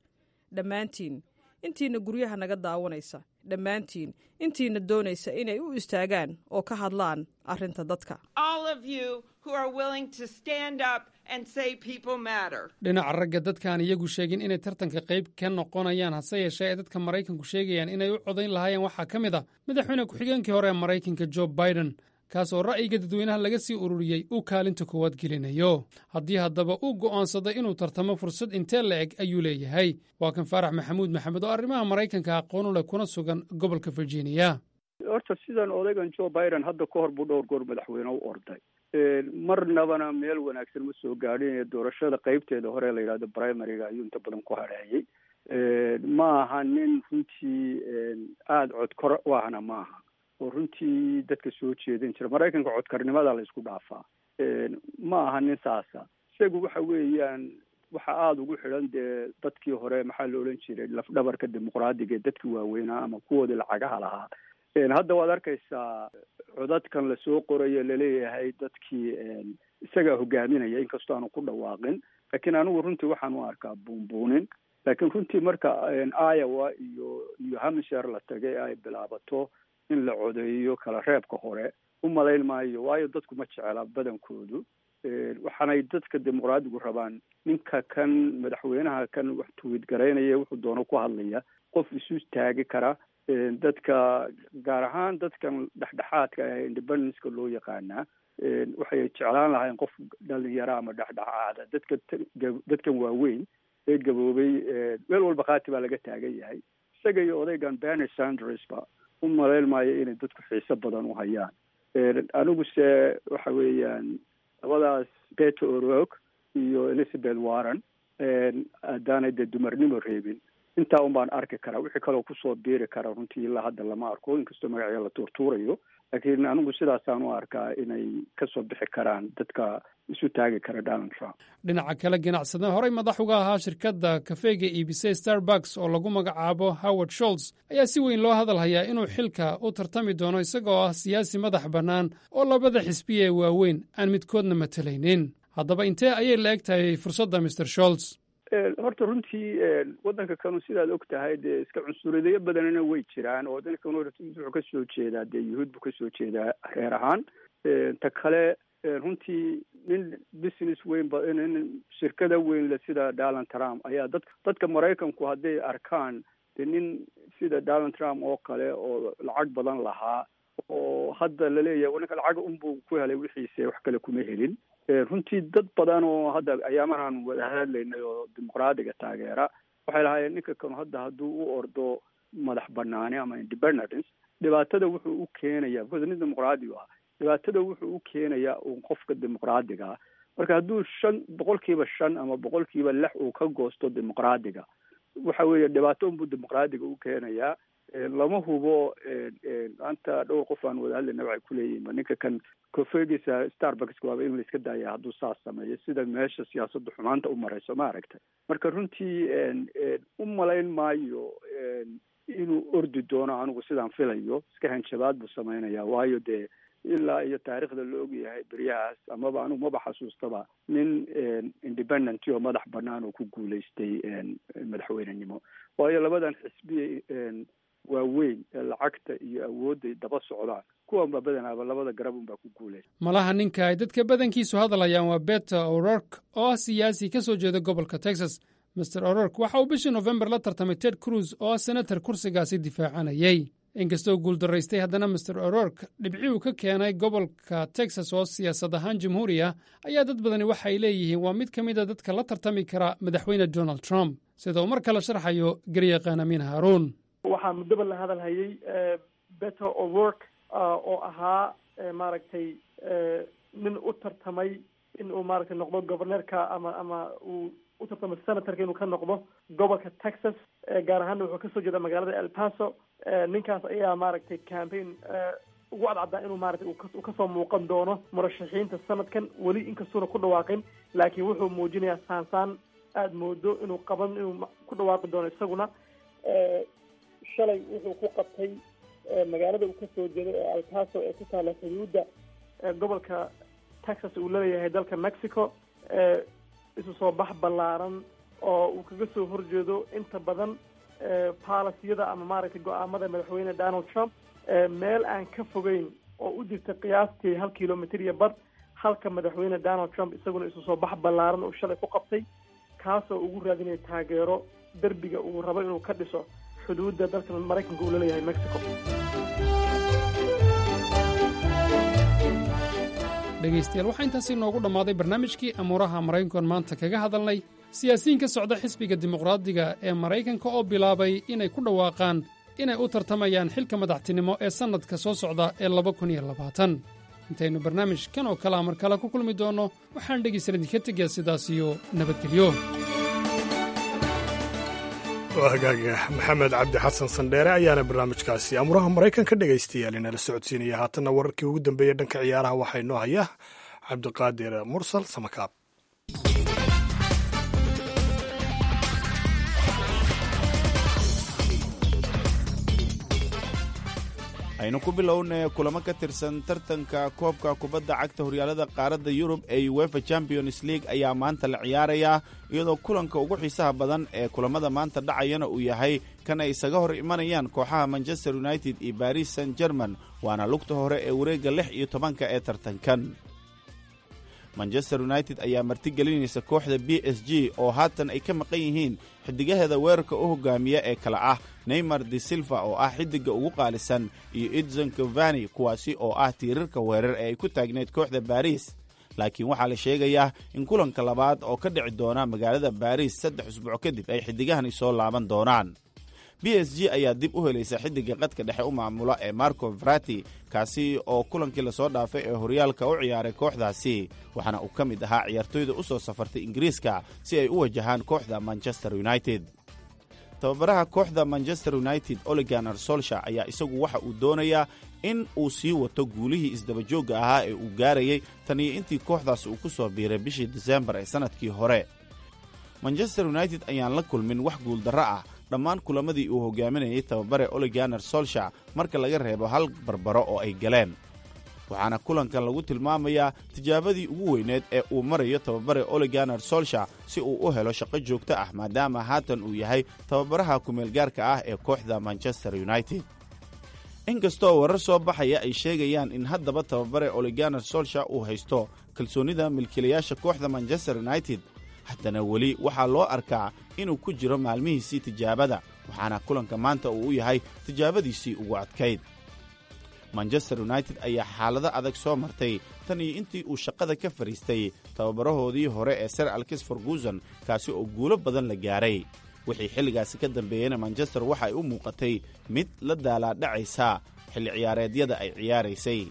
Dhammaantiin intiina guryaha naga daawanaysa, dhammaantiin intiina doonaysa inay u istaagaan oo ka hadlaan arrinta dadka. All of you who are willing to stand up and say people matter. Dhinaca ragga, dadkaan iyagu sheegin inay tartanka qayb ka noqonayaan, hase yeeshee ay dadka Maraykanku sheegayaan inay u codayn lahaayeen, waxaa ka mid a madaxweyne ku-xigeenkii hore ee Maraykanka Joe Biden, kaas oo ra'yiga dadweynaha laga sii ururiyey uu kaalinta koowaad gelinayo. Haddii haddaba uu go'aansaday inuu tartamo, fursad intee la eg ayuu leeyahay? Waa kan Faarax Maxamuud Maxamed oo arrimaha Maraykanka aqoon u leh kuna sugan gobolka Virginia. Horta sidan odaygan Joe Biden hadda ka hor buu dhowr goor madaxweyne u orday, marnabana meel wanaagsan ma soo gaadhin. Doorashada qeybteeda hore la yidhahdo primaryga ayuu inta badan ku hadheeyey. Ma aha nin runtii aada codkor u ahna maaha oo runtii dadka soo jeedin jira. Maraykanka codkarnimada la isku dhaafaa, ma aha nin saasa. Isagu waxa weeyaan waxa aada ugu xidhan dee dadkii hore, maxaa la odhan jiray, lafdhabarka dimuqraadiga ee dadkii waaweynaa ama kuwoodii lacagaha lahaa. Hadda waad arkaysaa codadkan lasoo qorayo, laleeyahay dadkii isagaa hogaaminaya, inkastoo aanu ku dhawaaqin, laakiin anigu runtii waxaan u arkaa buunbuunin. Laakiin runtii marka Iowa iyo New Hampshire la tagay ay bilaabato in la codeeyo kala reebka hore, u malayn maayo, waayo dadku ma jecela badankoodu. Waxaanay dadka dimuqraadigu rabaan ninka kan madaxweynaha kan wax tweet garaynaya, wuxuu doono ku hadlaya, qof isu taagi kara dadka, gaar ahaan dadkan dhexdhexaadka ee independenceka loo yaqaanaa. Waxay jeclaan lahayn qof dhalinyaro ama dhexdhexaada. Dadka dadkan waaweyn ee gaboobay meel walba khaati baa laga taagan yahay. Isaga iyo odaygan Bernie Sanders ba u malayn maayo inay dadku xiiso badan u hayaan. Aniguse waxa weeyaan labadaas, Beto O'Rourke iyo Elizabeth Warren, haddaanay dee dumarnimo reebin, intaa un baan arki karaa. Wixii kaloo kusoo biiri kara runtii ilaa hadda lama arko, inkastoo magacyo la tuurtuurayo, laakiin anigu sidaasaan u arkaa inay kasoo bixi karaan dadka isu taagi kara Donald Trump. Dhinaca kale, ganacsada horey madax uga ahaa shirkadda kafeega iibisay Starbucks oo lagu magacaabo Howard Schultz ayaa si weyn loo hadal hayaa inuu xilka u tartami doono, isagoo ah siyaasi madax bannaan oo labada xisbiya ee waaweyn aan midkoodna matalaynin. Haddaba intee ayay la eg tahay fursadda Mister Schultz? Horta runtii waddanka kanu sidaad og tahay dee iska cunsuriyadyo badanina way jiraan, oo waddanka kanu wuxuu ka soo jeedaa dee yuhuud buu kasoo jeedaa reer ahaan. Ta kale, runtii nin business weyn ba, nin shirkada weyn le sida Donald Trump ayaa dad dadka Maraykanku hadday arkaan dee nin sida Donald Trump oo kale oo lacag badan lahaa oo hadda laleeyahay ninka lacag unbuu ku helay, wixiise wax kale kuma helin. Runtii dad badan oo hadda ayaamahan wada hadlaynay oo dimuqraadiga taageera waxay lahaayeen ninka kanu hadda hadduu u ordo madax banaani ama independence, dhibaatada wuxuu u keenayaa, because nin dimuqraadi ah, dhibaatada wuxuu u keenayaa uun qofka dimuqraadiga ah. Marka hadduu shan boqolkiiba shan ama boqolkiiba lix uu ka goosto dimuqraadiga, waxa weeye dhibaato unbuu dimuqraadiga u keenayaa. Lama hubo. Maanta dhowr qof aan wada hadlayna waxay kuleeyihin ninka kan kofeegiisa Starbucks waaba in la iska daaya hadduu saas sameeyo, sida meesha siyaasadda xumaanta u marayso, ma aragtay. Marka runtii u malayn maayo inuu ordi doono. Anigu sidaan filayo iska hanjabaad buu sameynaya, waayo dee ilaa iyo taariikhda la ogyahay beryahaas amaba anigu maba xasuustaba nin independent oo madax banaan oo ku guulaystay madaxweynenimo, waayo labadan xisbiye waaweyn ee lacagta iyo awoodday daba socdaan kuwan baa badanaaba labada garab unbaa ku guulaysa. Malaha ninka ay dadka badankiisu hadlayaan waa Beto O'Rourke oo ah siyaasi ka soo jeeda gobolka Texas. Mister O'Rourke waxa uu bishii Nofembar la tartamay Ted Cruz oo ah senatar kursigaasi difaacanayay. Inkastoo guuldaraystay, haddana Mister O'Rourke dhibci uu ka keenay gobolka Texas oo siyaasad ahaan jamhuuri ah ayaa dad badani waxay leeyihiin waa mid ka mid a dadka la tartami kara Madaxweyne Donald Trump, sida uu mar kale sharxayo garyaqaan Amiin Haaruun. Waxaa muddoba la hadal hayay Beto O'Rourke oo ahaa maaragtay nin u tartamay in uu maaragtay noqdo governorka ama ama uu u tartamo senatorka inuu ka noqdo gobolka Texas, gaar ahaana wuxuu kasoo jeeda magaalada El Paso. Ninkaas ayaa maaragtay campaign ugu cadcaddaa inuu maaragtay uu kasoo muuqan doono murashaxiinta sanadkan. Weli inkastuuna ku dhawaaqin, laakiin wuxuu muujinayaa saansaan aada moodo inuu qaban inuu ku dhawaaqi doono isaguna. Shalay wuxuu ku qabtay magaalada uu kasoo jeedo ee El Paso ee ku taala xuduudda gobolka Texas uu laleeyahay dalka Mexico isu soo bax ballaaran oo uu kaga soo horjeedo inta badan baalasiyada ama maaragtay go-aamada Madaxweyne Donald Trump, meel aan ka fogeyn oo u jirta qiyaastii hal kilomitr iyo bar halka Madaxweyne Donald Trump isaguna isu soo bax ballaaran uu shalay ku qabtay, kaasoo ugu raadinaya taageero derbiga uu rabo inuu ka dhiso xuduudda dalka Maraykanka uu laleeyahay Mexico. Dhegaystayaal, waxaa intaasi inoogu dhammaaday barnaamijkii amuuraha Maraykankoon maanta kaga hadalnay siyaasiyiin ka socda xisbiga Dimuqraadiga ee Maraykanka oo bilaabay inay ku dhawaaqaan inay u tartamayaan xilka madaxtinimo ee sannadka soo socda ee laba kun iyo labaatan. Intaynu barnaamijkan oo kalea mar kale ku kulmi doonno, waxaan dhegaysan idinka tegayaa sidaas iyo nabadgelyo. Waa hagaaga. Maxamed Cabdi Xasan Sandheere ayaana barnaamijkaasi amuraha Maraykanka dhegaystayaal inala socodsiinaya. Haatanna wararkii ugu dambeeyey dhanka ciyaaraha waxaa inoo haya Cabdiqaadir Mursal Samakaab. Aynu ku bilownay kulamo ka tirsan tartanka koobka kubadda cagta horyaalada qaaradda Yurub ee UEFA Champions League ayaa maanta la ciyaarayaa, iyadoo kulanka ugu xiisaha badan ee kulamada maanta dhacayana uu yahay kan ay isaga hor imanayaan kooxaha Manchester United iyo Paris Saint German, waana lugta hore ee wareegga lix iyo tobanka ee tartankan. Manchester United ayaa martigelinaysa kooxda B S G oo haatan ay ka maqan yihiin xiddigaheeda weerarka u hogaamiya ee kale ah Neymar de Silva oo ah xiddigga ugu qaalisan iyo Edson Cavani, kuwaasi oo ah tiirarka weerar ee ay ku taagneyd kooxda Baris. Laakiin waxaa la sheegayaa in kulanka labaad oo ka dhici doona magaalada Baris saddex usbuuc kadib ay xiddigahani soo laaban doonaan. B S G ayaa dib u helaysa xiddigga qadka dhexe u maamula ee Marco Verratti, kaasi oo kulankii lasoo dhaafay ee horyaalka u ciyaaray kooxdaasi, waxaana uu ka mid ahaa ciyaartoyda u soo safartay Ingiriiska si ay u wajahaan kooxda Manchester United. Tababaraha kooxda Manchester United Ole Gunnar Solskjaer ayaa isagu waxa uu doonayaa in uu sii wato guulihii isdabajoogga ahaa ee uu gaarayay tan iyo intii kooxdaas uu ku soo biiray bishii Disembar ee sannadkii hore. Manchester United ayaan la kulmin wax guuldarro ah dhammaan kulamadii uu hogaaminayay tababare Ole Gunnar Solskjaer, marka laga reebo hal barbaro oo ay galeen, waxaana kulankan lagu tilmaamayaa tijaabadii ugu weyneed ee uu marayo tababare Ole Gunnar Solskjaer si uu u helo shaqo joogto ah, maadaama haatan uu yahay tababaraha kumeelgaarka ah ee kooxda Manchester United. Inkastoo warar soo baxaya ay sheegayaan in haddaba tababare Ole Gunnar Solskjaer uu haysto kalsoonida milkiilayaasha kooxda Manchester United, haddana weli waxaa loo arkaa inuu ku jiro maalmihiisii tijaabada, waxaana kulanka maanta uu u yahay tijaabadiisii ugu adkayd. Manchester United ayaa xaalado adag soo martay tan iyo intii uu shaqada ka fadhiistay tababarahoodii hore ee Sir Alex Ferguson, kaasi oo guulo badan la gaaray. Wixii xilligaasi ka dambeeyeyna Manchester waxa ay u muuqatay mid la daalaadhacaysa xilli ciyaareedyada ay ciyaaraysay.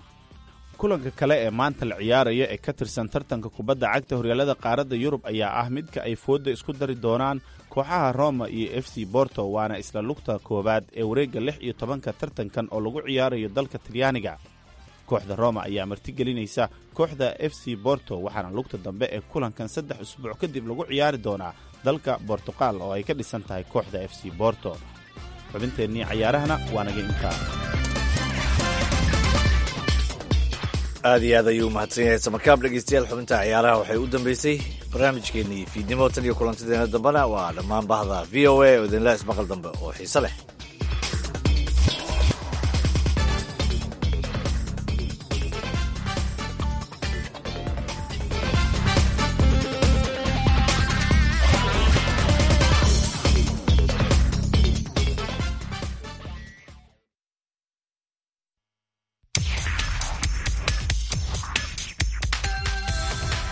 Kulanka kale ee maanta la ciyaaraya ee ka tirsan tartanka kubadda cagta horyaalada qaaradda Yurub ayaa ah midka ay foodda isku dari doonaan kooxaha Roma iyo F C Borto, waana isla lugta koowaad ee wareegga lix iyo tobanka tartankan oo lagu ciyaarayo dalka Talyaaniga. Kooxda Roma ayaa martigelinaysa kooxda F C Borto, waxaana lugta dambe ee kulankan saddex usbuuc kadib lagu ciyaari doonaa dalka Bortuqal oo ay ka dhisan tahay kooxda F C Borto. Xubinteennii cayaarahana waa naga intaa. Aad iyo aad ayuu umahadsan yahay Samakaab. Dhegeystayaal, xubinta ciyaaraha waxay u dambeysay barnaamijkeenii fiidnimo. Tan iyo kulantideena dambena waa dhammaan bahda V O A oo idinla ismaqal dambe oo xiise leh.